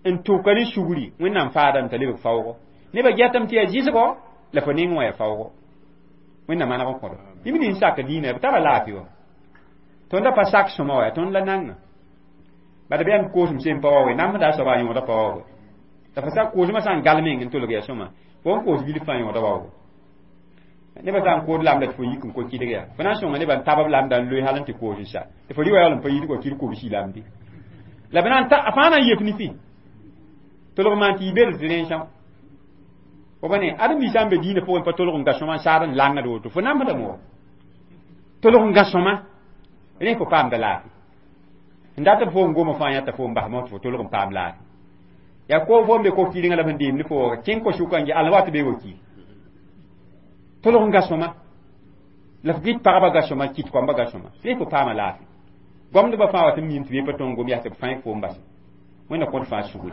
n tʋka ne sugri Wẽnnaam faadame t'a lebg faoogo nebã getame tɩ yaa zɩsgo la fo neng wã yaa faoogo Wẽnna maneg n kõdo neb nins sak diinã b tara laafɩ wã tõnda pa sak sõma wa tõnd la nanga bad bɩ yãmb koosem sem pa wa we namsda a soaba a yõoda pa wa we la fo sa koosmã sã n gal meng n tolg yaa sõma fo n koos bilf fãa yõoda waoogo nebã sã n kood lamda tɩ fo yik n ko kɩdg yaa fo na n sõnga nebã n tab b lamda n loe hal n tɩ koos n sa tɩ fo rɩ wa yaool n pa yid wa kɩd kobsi lamde la b na n ta a fãa na n yep ne fɩ tolg maan tɩ yɩ bel tɩ rẽn sã fo ba ne ãdem-biis sã n be diinã pʋgẽ pa tolg n ga sõma n saad n langd woto fo namsdame wa tolg n ga sõma rẽ fo paamda laafɩ n dat b fo n goma fãa yãta fo n bas tɩ fo tolg n paam laafɩ yaa ko fo n be ko-kɩrengã la b sẽn deemd fo kẽng ko-sʋka n al wat be wa ki tolg n ga sõma la f gɩt pagba ga sõma kɩt koamba ga sõma rẽ fo paama laafɩ goamdbã fãa wat n mim tɩ be pa tõnd gom yaa tɩ b fãe fo n base Wẽnna kõt fãa sugri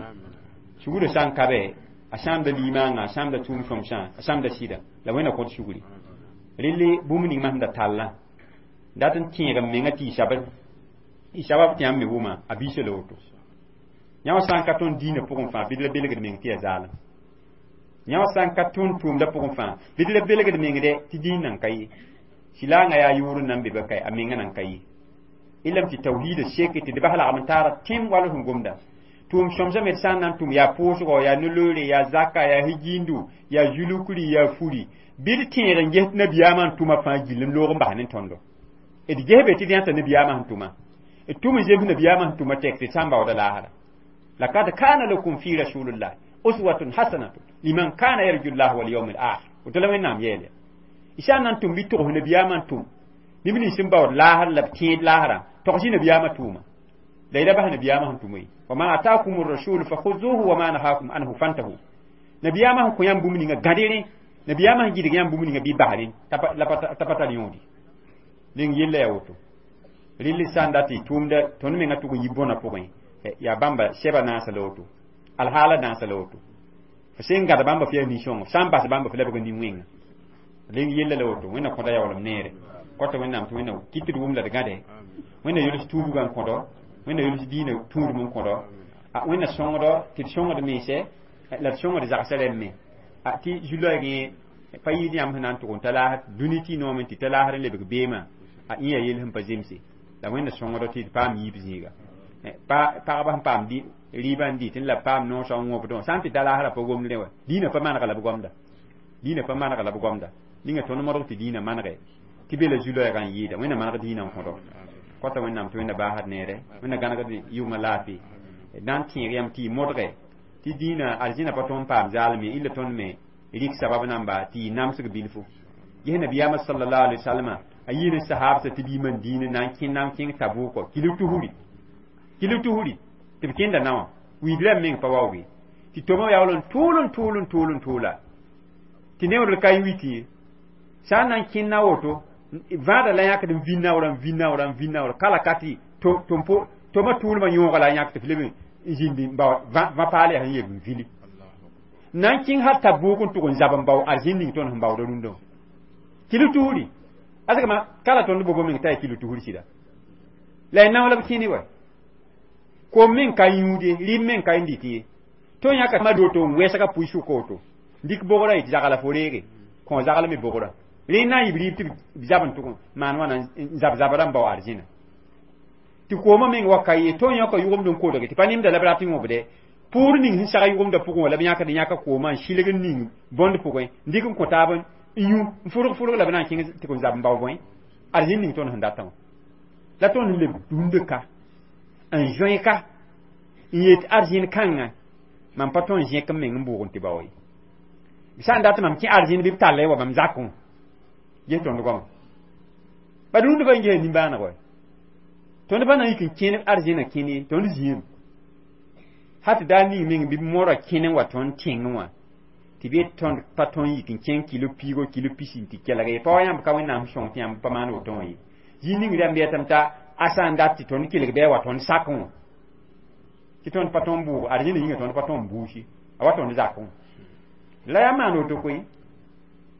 sugrã sã n ka bɛ a sãamda limaangã a sãamda tʋʋm sõmsã a sãamda sɩda la Wẽnna kõt sugri relle bũmb ning masẽn da tallã dat n tẽeg n menga tɩ y sab y sabab tɩ yãmb me wʋma a biisa la woto yã wã sã n ka tõnd diinã pʋgẽ fãa bɩ d la belgd meng tɩ yaa zaalem yã wã sã n ka tõnd tʋʋmda pʋgẽ fãa bɩ d la belgd mengdɛ tɩ diin nan ka ye sɩlaangã yaa yʋʋr n nan be ba kae a menga nan ka ye ilame tɩ tawhiida seke tɩ d bas lagm n taara tẽm wall sẽn gomda tʋʋm sõmsã me d sã n na n tʋm yaa pʋʋsgɔ yaa no-loore yaa zaka yaa higindu yaa zulukri yaa furi bɩ d tẽeg n ges nabiyaamã n tʋma fãa gill n loog n bas ne tõndo d gesbe tɩ d yãta nabiyaamã sẽn tʋma d tʋm n zems nabiyaamã sẽn tʋma tɛk tɩ sã n baooda laasra لقد كان لكم في رسول الله أسوة حسنة لمن كان يرجو الله واليوم الآخر وتلا وين نعم يلي إشان أنتم بيتوه نبياما أنتم Neb nins sẽn baood laasr la b tẽed laasrã togs nabiyaamã tʋʋma la y ra bas nabiyaamã sẽn tʋm ye wa ma atakum rasul fakhuzuhu wa ma nahakum anhu fantahu nabiyaamã sẽn kõ yãmb bũmb ninga gãde rẽ nabiyaamã sẽn gɩdg yãmb bũmb ninga bɩ bas rẽ la pa tar yõodi rẽng yella yaa woto rɩl sã n dat tɩ tʋʋmda tõnd menga tʋg n yi bõna pʋgẽ yaa bãmba sɛba naasa la woto alhaala naasa la woto f sẽn gãd bãmba f yaa nin-sõngo sã n bas bãmba f lebg nin-wẽnga rẽng yella la woto wẽnna kõda yaoolem neere kõta wẽnnaam tɩ wẽnna kɩt tɩ d wʋm la d gãde wẽnna yols tuubgã n kõdo wẽnna yols diinã tũudum n kõdo wẽnna sõngdo tɩ d sõngd mense la d sõngd zagsã rẽmb me tɩ zu-loeeg pa yɩɩd yãmb sẽn na n tʋg n ta laasr dũni tɩ noome tɩ ta laasr n lebg beemã a ĩa yell sẽn pa zemse la wẽnna sõngdo tɩ d paam yiib zĩiga pagba sẽn paam rɩɩbã n dɩt n la paam noosã n wõbdẽ sã n tɩ ta laasrã pa gomd rẽ wa diinã pa manega la b gomda diinã pa manega la b gomda ninga tõnd modg tɩ diinã manege tɩ be la zu-loɛɛgã n yɩɩda wẽnna maneg diinã n kõdo kõta wẽnnaam tɩ wẽnna baasd neere wẽnna gãnegd yʋngã laafɩ na n tẽeg yãmb tɩ y modge tɩ diinã arzĩna pa tõnd paam zaalem ye illa tõnd me rɩk sabab namba tɩ y namsg bilfu ges nabiyaamã sallallahu alaihi wasallam a yɩ ne sahabsã tɩ b yimã diinã na n kẽ na n kẽng tabʋʋkɔ kilg tusri kilg tusri tɩ b kẽnda naowã wiid rãmb meng pa waooge tɩ toma yaool n tʋʋl n tʋʋl n tʋʋl n tʋʋla tɩ neoodl ka n witẽ ye sã n na n kẽnd na woto vãada la yãkd n vĩ naoorã n vĩ naoorã n vĩ naoorã kala ka tɩ toma tʋʋlmã yõoga la yãk tɩ f leb n zĩnd n bao vã paal yaa sẽn yeb n vili na n kẽng hal tabʋʋk n tʋg n zab n bao arzĩn ning tõnd sẽn baooda rũndã wã kilo tusri asgma kala tõnd bobo meng t'a yaa kilo tusr sɩda la y nao la b kẽne wa kom meng ka yũude rɩɩb meng ka n dɩt ye tõnd yãka ma doto n wɛsga pʋɩ sʋka woto dɩk bogrã yetɩ zagla fo reege kõ zagl me bogrã rẽ na n yɩ b rɩɩb tɩ b zab n tʋg maan wãna n zab zabra n bao arzĩna tɩ koomã meng wa ka ye tõnd yãka yʋgemd n kodge tɩ pa nemda la b rat n wõbde pʋʋr ning sẽn sag yʋgemdã pʋgẽ wã la b yãkd yãka koomã n sɩlg n ning bõnd pʋgẽ n dɩk n kõ taab n yũ n fʋrg fʋrg la b na n kẽng tɩ n zab n bao bõe arzĩn ning tõnd sẽn datã wã la tõnd leb rũndã ka n zoe ka n yet arzĩn kãngã mam pa tõnd zẽk n meng n bʋʋg n tɩ bao ye sã n dat mam kẽ arzĩn bɩ b talla wa mam zakẽ ges tõnd goama ba rũndã pa n gesa nimbãaneg wa tõnd pa na n yik n kẽne arzĩnã kẽne ye tõnd zĩame ha tɩ daar ning meng bɩ b mora kẽne wa tõnd tẽngẽ wã tɩ be tõnd pa tõnd yik n kẽng kilo piigo kilo pisi n tɩ kelg ye pa wa yãmb ka wẽnnaam sõng tɩ yãmb pa maan woto wã ye zĩig ning rãmb yetame t'a a sã n dat tɩ tõnd kelg bɩ a wa tõnd sakẽ wã tɩ tõnd pa tõnd bʋʋg arzĩnã yĩnga tõnd pa tõnd buusi a wa tõnd zakẽ wã la yaa maan woto koe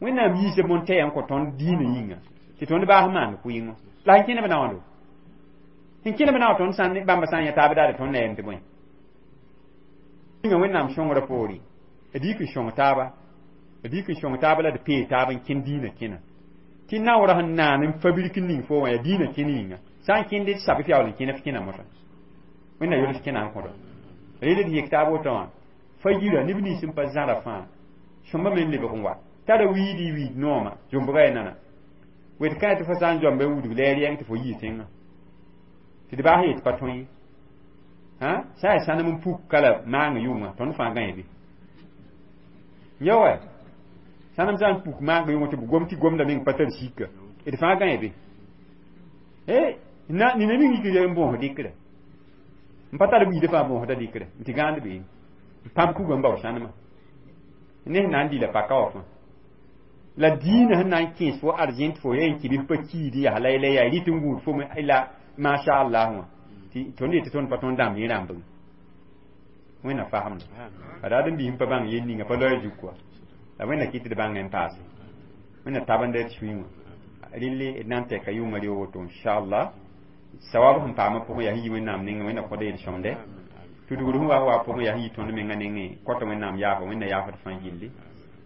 wẽnnaam yiisa bõn-tɛɛ n kõ tõnd diinã yĩnga tɩ tõnd baas maan kʋɩngõ la sẽn kẽne b naoando sẽn kẽne b nao tõnd sã bãmba sã n yã taab daare tõnd na yɛm tɩ bõe yĩnga wẽnnaam sõngrã poore d yik n sõng taaba d yik n sõng taaba la d pee taab n kẽnd diinã kẽna tɩ naoorã sẽn naan n fabrik n ning fo wã yaa diinã kẽn yĩnga sã n kẽnde d sab f yaool n kẽne f kẽna mosã wẽnna yols kẽna n kõdo rel d yek taab woto wã fa yira neb nins n pa zãra fãa sõmba me n lebg n wa tara wiidi wiid nooma zũmbga ya nana wet kã tɩ fo sã n zoamba wudg la ya rɩang tɩ fo yii tẽngã tɩ d baas yet pa tõe ye sã yaa sãnem n puk kala maang yʋngã tõnd fãa gãe be ya wa sãnem sã n puk maang yʋngã tɩ b gom tɩ gomda meng pa tar sika d fãa gãe be e na nina ming yik n bõos dɩkra n pa tar wiidã fãa bõosda dɩkra n tɩ gãand be n pãb kuga n bao sãnemã ne sẽn na n dɩla paka wã fãa la diinã sẽn na n kẽes fo arzẽn tɩ fo yaa n kɩ bɩ pa kiid yaa la la yaa rɩt n gũud fo me la masha Allah wã tɩ tõnd yetɩ tõnd pa tõnd dãmb yẽ rãmbg wẽnna fasemda a raad n biis n pa bãng yel ninga pa loɛɛ zug kɔa la wẽnna kɩt tɩ d bãnga n paase wẽnna tabenda d sũyẽ wã relle d na n tɛka yʋngã reo woto inchallah sawab sẽn paamã pʋgẽ yaa sẽn yi wẽnnaam nengẽ wẽnna kõda yel-sõmde tudgr sẽn wa wa pʋgẽ yaa sẽn yi tõnd menga nengẽ kõta wẽnnaam yaafa wẽnna yaafd fãa gilli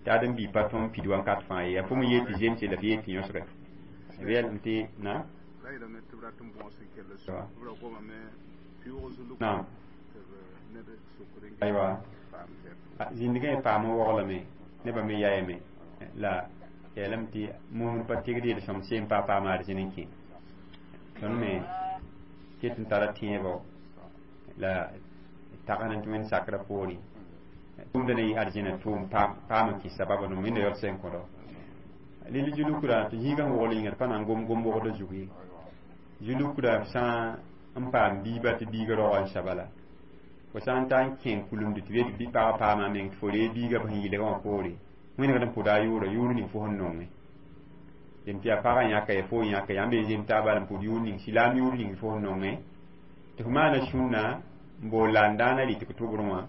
tɩ ad n bii pa tõnd pid wankat fãa ye yaa fo me yeel tɩ zemse la f yeel tɩ yõsge yɛlem tɩ na naam aywa zĩndgã paam n woglame nebã me yaayame la yeelame tɩ mosd pa tigd yel-sõm seen pa paam arzẽn n kẽ tõnd me ket n tara tẽebɔ la tagn tɩ wẽnd sakrã poore tʋʋmda na yɩ arzẽna tʋʋm paam n kɩs sababa no wẽnna yaool sẽn kõdo Lili zulukra tɩ zĩigã wogl yĩnga d pa na n gom gom wogdã zug ye zulukra b sã n paam biiba tɩ biiga raoga n sa bala fo sã n ta n kẽ kulemd tɩ be tɩ pagã paama a meng tɩ fo ree biiga b sẽn yɩlgã wã poore wẽnegd n pʋda a yʋʋra yʋʋr ning fo sẽn nonge zem tɩ yaa pagã yãka ya fo yãka yãmb be zem taab bala n pʋd yʋʋr ning silaam yʋʋr ning fo sẽn nonge tɩ f maana sũnna n bool la n daana rɩtg tʋbrẽ wã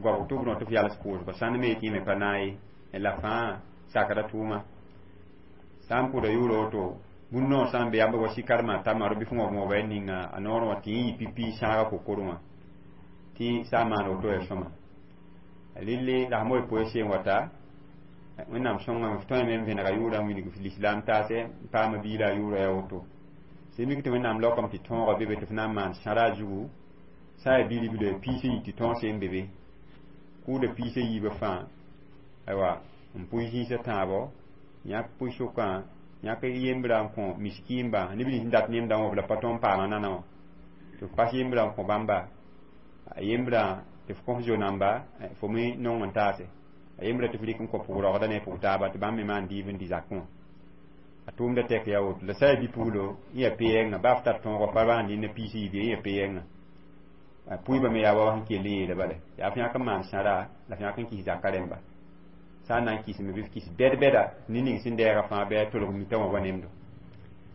goabg tʋbrẽ wã tɩ f yals pʋʋsga sãnd me tɩ yẽ me pa naag ye la fãa sakda tʋʋma sã n pʋda yʋʋra woto bũn noor sã n be yãmb wa sɩkarmã tamaro bɩ f wõb wõba y ninga a noorẽ wã tɩ yẽ yɩ pipi sãaga kokorẽ wã tɩ sã n maan woto yaa sõma relle la sã poe seen wata wẽnnaam sõngame f tõeme n vẽnega yʋʋrã n wilg lislaam taasɛ n paama biila a yʋʋra yaa woto sẽn mik tɩ wẽnnaam laokame tɩ tõoga be be tɩ f na n maan sãra a zugu sã n yaa bi-ribla piis n yi tɩ tõog seen be be kʋʋda piis a yiibã fãa aywa n pʋɩ zĩisã tãabo yãk pʋɩ-sʋkã yãk yembrã n kõ miskiimba neb nins n dat nemdã wã b la pa tõnd n paama nana wã tɩ f pas yembrã n kõ bãmba a yembrã tɩ f kõs zo-namba fo me nong n taase a yembrã tɩ f rɩk n kõ pʋg-raoogda ne pʋg taaba tɩ bãmb me maan dɩɩb n dɩ zakẽ wã a tʋʋmda tɛk yaa woto la sã yaa bi-puglo yẽ yaa pe-yɛngã baa f tar tõogã pa maan rẽnda piis yiib ye yẽ yaa pe-yɛngã pʋɩbã me yaa wa sẽn kell n yeela bala yaa f yãk n maan sãra la f yãk n kis zakã rẽmba sã n na n kisme bɩ f kis bɛd-bɛda ne ning sẽn dɛɛga fãa bɩ a tolg mitã wã wa nemdo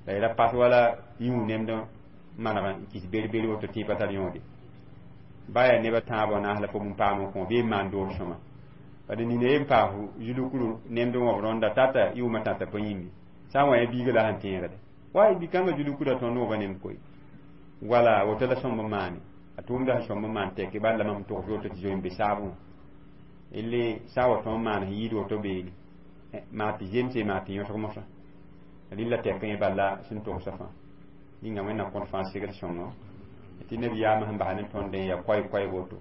la y ra pas wala yũ nemd maneg n kis ber-ber woto tɩ pa tar yõode ba yaa nebã tãabã wã naas la fo n paam n kõ bee n maan doog sõma bad nina ye n paas zulukru nemd wãb rõnda tata yʋʋmã tãta pa yĩmbe sã n wa ya biiga la sẽn tẽegde wa bi-kãngã zulukra tõnd wãba nemd koe wala woto la sõmb n maane a tʋʋmda sẽn sõmb n maan tɛke bal la mam togs woto tɩ zoe n be saabẽ elle sã wa tõnd maan sẽn yɩɩd woto beene maa tɩ zemse maa tɩ yõsg mosã rɩla tɛk yẽ bala sẽn togsa fãa yĩnga wẽnnaam kõt fãa segl sõngo tɩ nabiyaamã sẽn bas ne tõnd n yaa koɛɛ-koɛɛg woto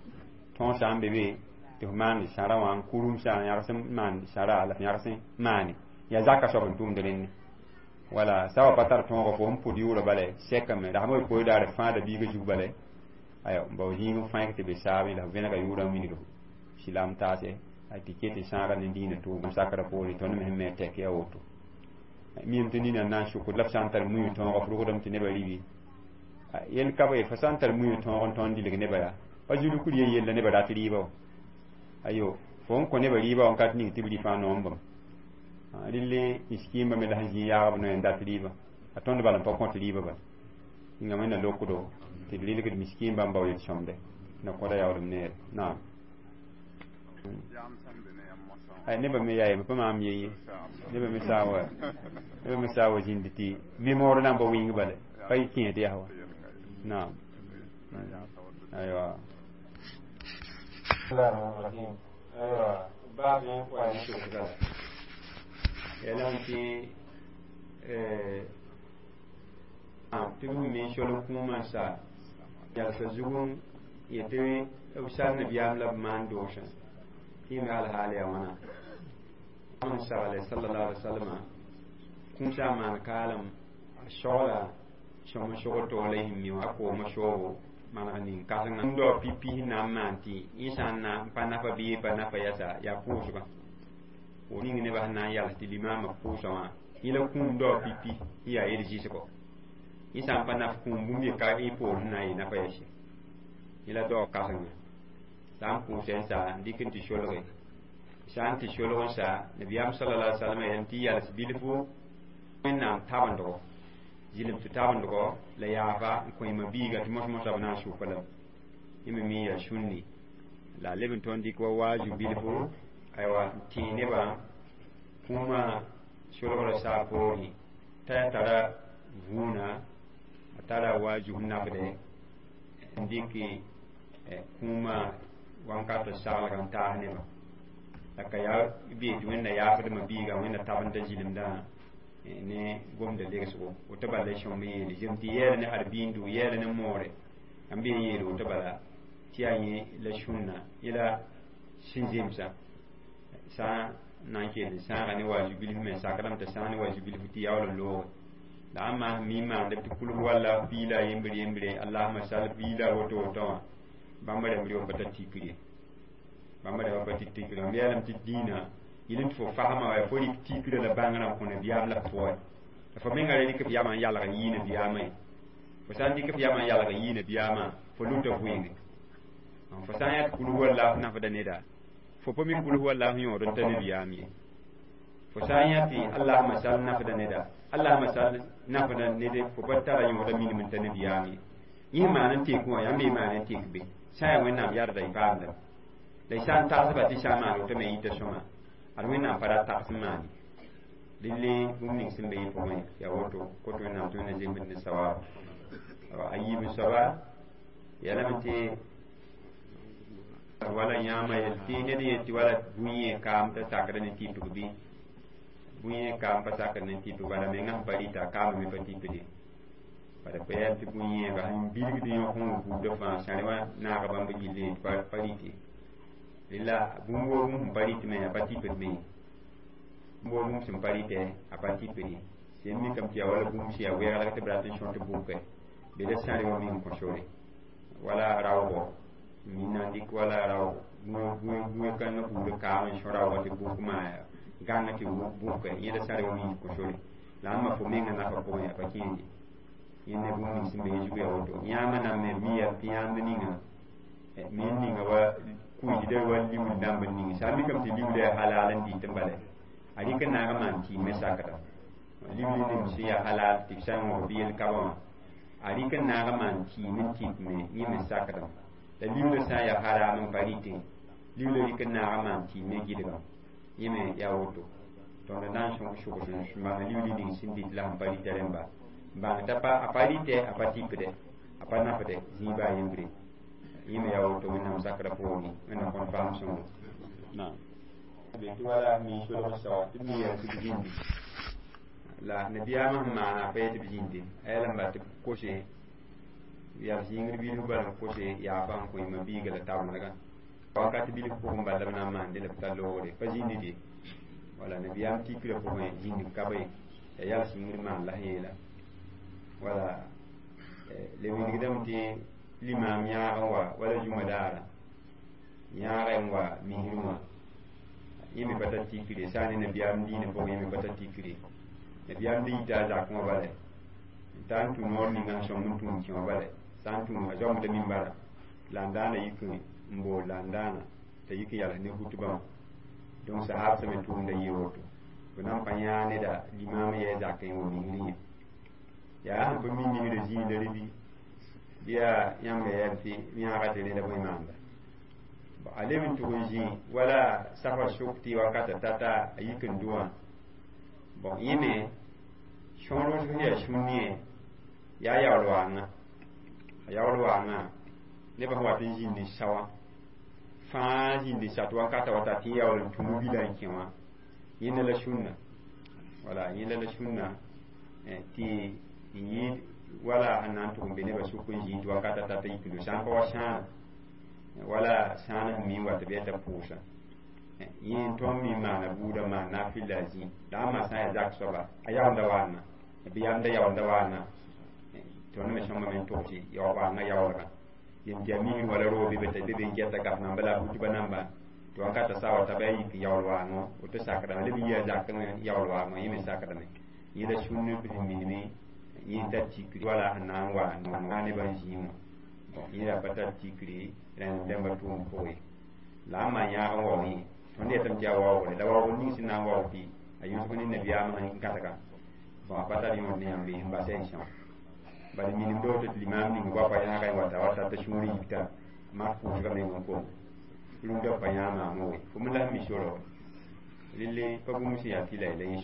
tõog sã n be be tɩ f maan sãra wã n kurumsã yãgs n maan sãra la f yãgs n maane yaa zaka soab n tʋmd rẽnne wala sã wa pa tar tõoga fo sẽn pʋd yʋʋra bala sɛkame la sã wa poe daare fãada biiga zug bala aya n bao zĩig n fãeg tɩ be saabẽ la f vẽnega yʋʋrã n wilg silaam taase tɩ ket n sãaga ne dĩinã tʋʋm sakrã poore tõnd me sẽn me tɛk yaa woto mim tɩ nina n na n sʋkd la f sã n tar muĩ tõoga f rʋgdame tɩ nebã ribi yel ka be fo sã n tar muĩ tõog n tõnd dilg nebã yaa pa zulukr ye yella nebã rat rɩɩba wã ayo fo n kõ nebã rɩɩba wã n ka tɩ ning tɩ b rɩ fãa noombame relle miskiimba me la sẽn zĩ yaagb noe n dat rɩɩba a tõnd bala n pa kõt rɩɩba bala yĩnga wẽnna lokdo tɩ d rɩlgd miskiimba n bao yel-sõmde na kõda yaoolem neere naam ay nebã me yaa pa maam ye ye nebã me saa wa nebã me saa wa zĩnd tɩ mémoire na n ba wĩng bala pa y kẽed yaa wa naam aywa aywa baab wa ne sokda yalan tɩ tɩ b me sol n kũumã sa yalsa zugẽ yetɩ b sal nabiyaam la b maan doosã tɩ me alhaal yaa wãna n sagle sallallahu alaihi wasallam kũum sã n maan kaalem a sogla sõm n sogd tog la yĩm mi wã a kooma soobo maneg ning kãsenga dao pipi sẽn na n maan tɩ yẽ sã n na n pa nafa bɩ pa nafa yasa yaa pʋʋsgã fo ning nebã sẽn na n yals tɩ limaamã pʋʋsã wã yẽ la kũum dao pipi n yaa yel zɩsgɔ yẽ sã n pa naf kũum bũmb ye ka y poor sẽn na n yɩ nafa yɛse yẽ la dao kãsenga sã n pʋʋsɛ n sa n dɩk n tɩ solge sã n tɩ solg n sa nabiyaam sallallahu alaihi wasallam yeelame tɩ yals bilfu wẽnnaam tabendgo zɩlem tɩ tabendgo la yaafa n kõ yẽma biiga tɩ mos-mosã b na n sʋka lame yẽ me mi yaa sũnni la a leb n tõnd dɩk wa waaju bilfu aywa n tẽe nebã kũumã solgrã saa poorẽ t'a tara vũuna a tara waaju sẽn nafde n dɩk kũumã wãnkat saglga n taas nebã la ka yaa bee tɩ wẽnna yaafdmã biiga wẽnna tabenda zɩlemdã ne gomda legsgo woto bala sõmb yeele zem tɩ yɛɛla ne arbiindu yɛɛla ne moore n bee yeele woto bala tɩ yaa yẽ la sũnna yẽ la sẽn zemsa sã n na n kell n sãaga ne wazu bilf me sakdame tɩ sãag ne wazu bilf tɩ yaool n looge la a maas mi maande tɩ kulg walla piila yembre yembre allahuma sal piila woto woto wã bãmba rãmb re pa tar tikr ye bãmba rãmba pa tɩ tikr mam yeelame tɩ dĩinã Yɩl n tɩ fo fasma wa fo rɩk tikrã la bãngrã n kõ nabiyaam la f pʋgẽ la fo menga ra rɩk f yamã n yalg n yɩ nabiyaamã ye. Fo sã n dɩk f yamã n yalg n yɩ nabiyaamã, fo luta vɩɩnge. Fo sã n yã tɩ kul huwa Allah nafda neda, fo pa mi kul huwa Allah yõod n ta nabiyaam ye. Fo sã n yã tɩ Allahuma sal nafda neda, Allahuma sal nafda ned, fo pa tara yõoda minim n ta nabiyaam ye. Yẽ maan n tek wã, yãmb be maan n tek be sã n yaa Wẽnnaam yarda y paamdame la y sã n tagsba tɩ sã n maan woto me yita sõma, ad Wẽnnaam pa ra tags n maane dille. Bũmb ning sẽn be yẽ pʋgẽ yaa woto kot Wẽnnaam tɩ Wẽnna zemb ne sawaab. A yiib soaba yaa lame tɩ wala yãama yel tɩ ned yet tɩ wala bũyẽ kaam t'a sakda ne tɩpg bɩ bũyẽ kaam pa sakd ne tɩpg, bala menga sẽn pa rɩta kaamã me pa tɩpde. Bala pa yaa tɩ bũyẽeba sẽn bilgd yõk n buudã fãa sãre wã naaga bãmb gilli pa rɩte. Rela bũmb woo bũmb sẽn pa rɩt me a pa tɩpd me, bũmb woo bũmb sẽn pa rɩtɛ a pa tɩpde. Sẽn mikame tɩ yaa wala bũmb sẽn yaa wɛglg tɩ b rat n sõt bʋkɛ be la sãre wã meng kõ sore wala raoogɔ mina n dɩk wala raoog bũe kãngã buudã kaam n sõ raoogã tɩ bʋk maa gãng tɩ bʋkɛ yẽ la sãre wã meng kõ sore la ãmba fo menga nafa pʋgẽ a pa kẽende. Yẽ ne bũmb ning sẽn be yẽ zugu yaa woto. Yãamã nan me mi yaa tɩ yãamd ninga me n ninga wa kuisda wa liuud dãmb n ning sã n mikame tɩ liuuda yaa halal n dɩt n bala a rɩk n naag n maan tɩɩmẽ sakda liuud nem sẽn yaa halal tɩ b sã n wõg bɩ yel-kabã wã, a rɩk n naag n maan tɩɩm n tɩp me yẽ me sakdame. La liuudã sã n yaa haram n pa rɩtẽ, liuudã rɩk n naag n maan tɩɩmẽ gɩdgame, yẽ me yaa woto. Tõnd na n sʋgs n bãng liuud ning sẽn dɩt la sẽn pa rɩta rẽmba n bãng t'a pa a pa rɩtɛ, a pa tɩpdɛ, a pa nafdɛ zĩig baa yembre. Yẽ me yaa woto Wẽnnaam sakrã poorẽ. Wẽnnaam kõn faam sõngo naam be tɩ wala mi solg saoog tɩ b mi yaa tɩ b zĩndi la nabiyaamã sẽn maana a pa yetɩ b zĩnde a yaa n ba tɩ b kose yaa b zĩngr bilf bala n kose yaafa n kõ yĩmã biiga la tabendgã wakat bilf pʋgẽ bala b na n maande la b tar loogre pa zĩndi de. Wala nabiyaam tikrã pʋgẽ zĩnd ka be yaa yals yĩngr maan la sẽn yeela wala le wilgdame tɩ limaam yãag n wa wala zũma daara yãaga n wa misrẽ wã, yẽ me pa tar tikre sã n ne nabiyaam diinã pʋgẽ. Yẽ me pa tar tikre nabiyaam da yita a zakẽ wã bala n ta n tũ noor ninga sẽn sõmb n tũ n kẽ wã bala sã n tũ a zoamda mimbara la n daana yik n bool la n daana t'a yik n yals ne hutbã wã. Donc sahab sẽm n tʋʋmda yɩ woto b na n pa yãag neda limaam yɛ zakẽ wa misrẽ yẽ yaa sẽn pa mi misrã zĩig la rɩ bɩ yaa yãmb ya tɩ yãaga tɩ rẽda bõe maanda a leb n tʋg n zĩ wala safa sʋk tɩ wakata tata a yik n dʋwã. Bon, yẽ me sõor sẽn yaa sũni yaa yaool waanga, a yaool waanga nebã sẽn wat n zĩnd n sa wã fãa zĩnd n sa tɩ wakata wata tɩ yaool n tũu bila n kẽ wã. Yẽnda la sũnna, wala yẽnda la sũnna tɩ n yɩɩd wala sẽn na n tʋg n be nebã sʋk n zĩig tɩ wakata tata yik n do sã n pa wa sãana wala sãana sẽn mi n wat bɩ t'a pʋʋsa yẽ n tõnd mi maana buudã maan naafɩlla a zĩ la ãmba sã n yaa zak soaba a yaoolda waana bɩ yamda yaoolda waana. Tõnd me sõma me n tʋgs waanga yaoolgã yem tɩ yaa misr wala roog be be be n gɛta gaf namba la a butba namba tɩ wakata sa wa t'a bɩ a yik yaool waangõ woto sakdame leb n yia zakẽ yaool waangõ yẽ me sakdame. Yẽ la sũnn b sẽn minime yẽ n tar tikri wala sẽn na n wa nebã n zĩig wã yẽ yaa pa tar tikri rẽnd dẽmba tʋʋm pʋgẽ la ãmba yãag n waoog yẽ. Tõnd yetame tɩ yaa waoogre la waoogr ning sẽn na n waoog tɩ a yʋsg ne nabiyaamã n gãdga. Bon, a pa tar yõod ne yãmb n basa n são bala minemda woto tɩ limaam ning goapa yãaga n wata wa tata sũur yikta mak pʋʋsga meng n kom rũndã pa yãag maam we fo me la sẽn mi sora relle pa bũmb sẽn yaa tɩ la la yẽ.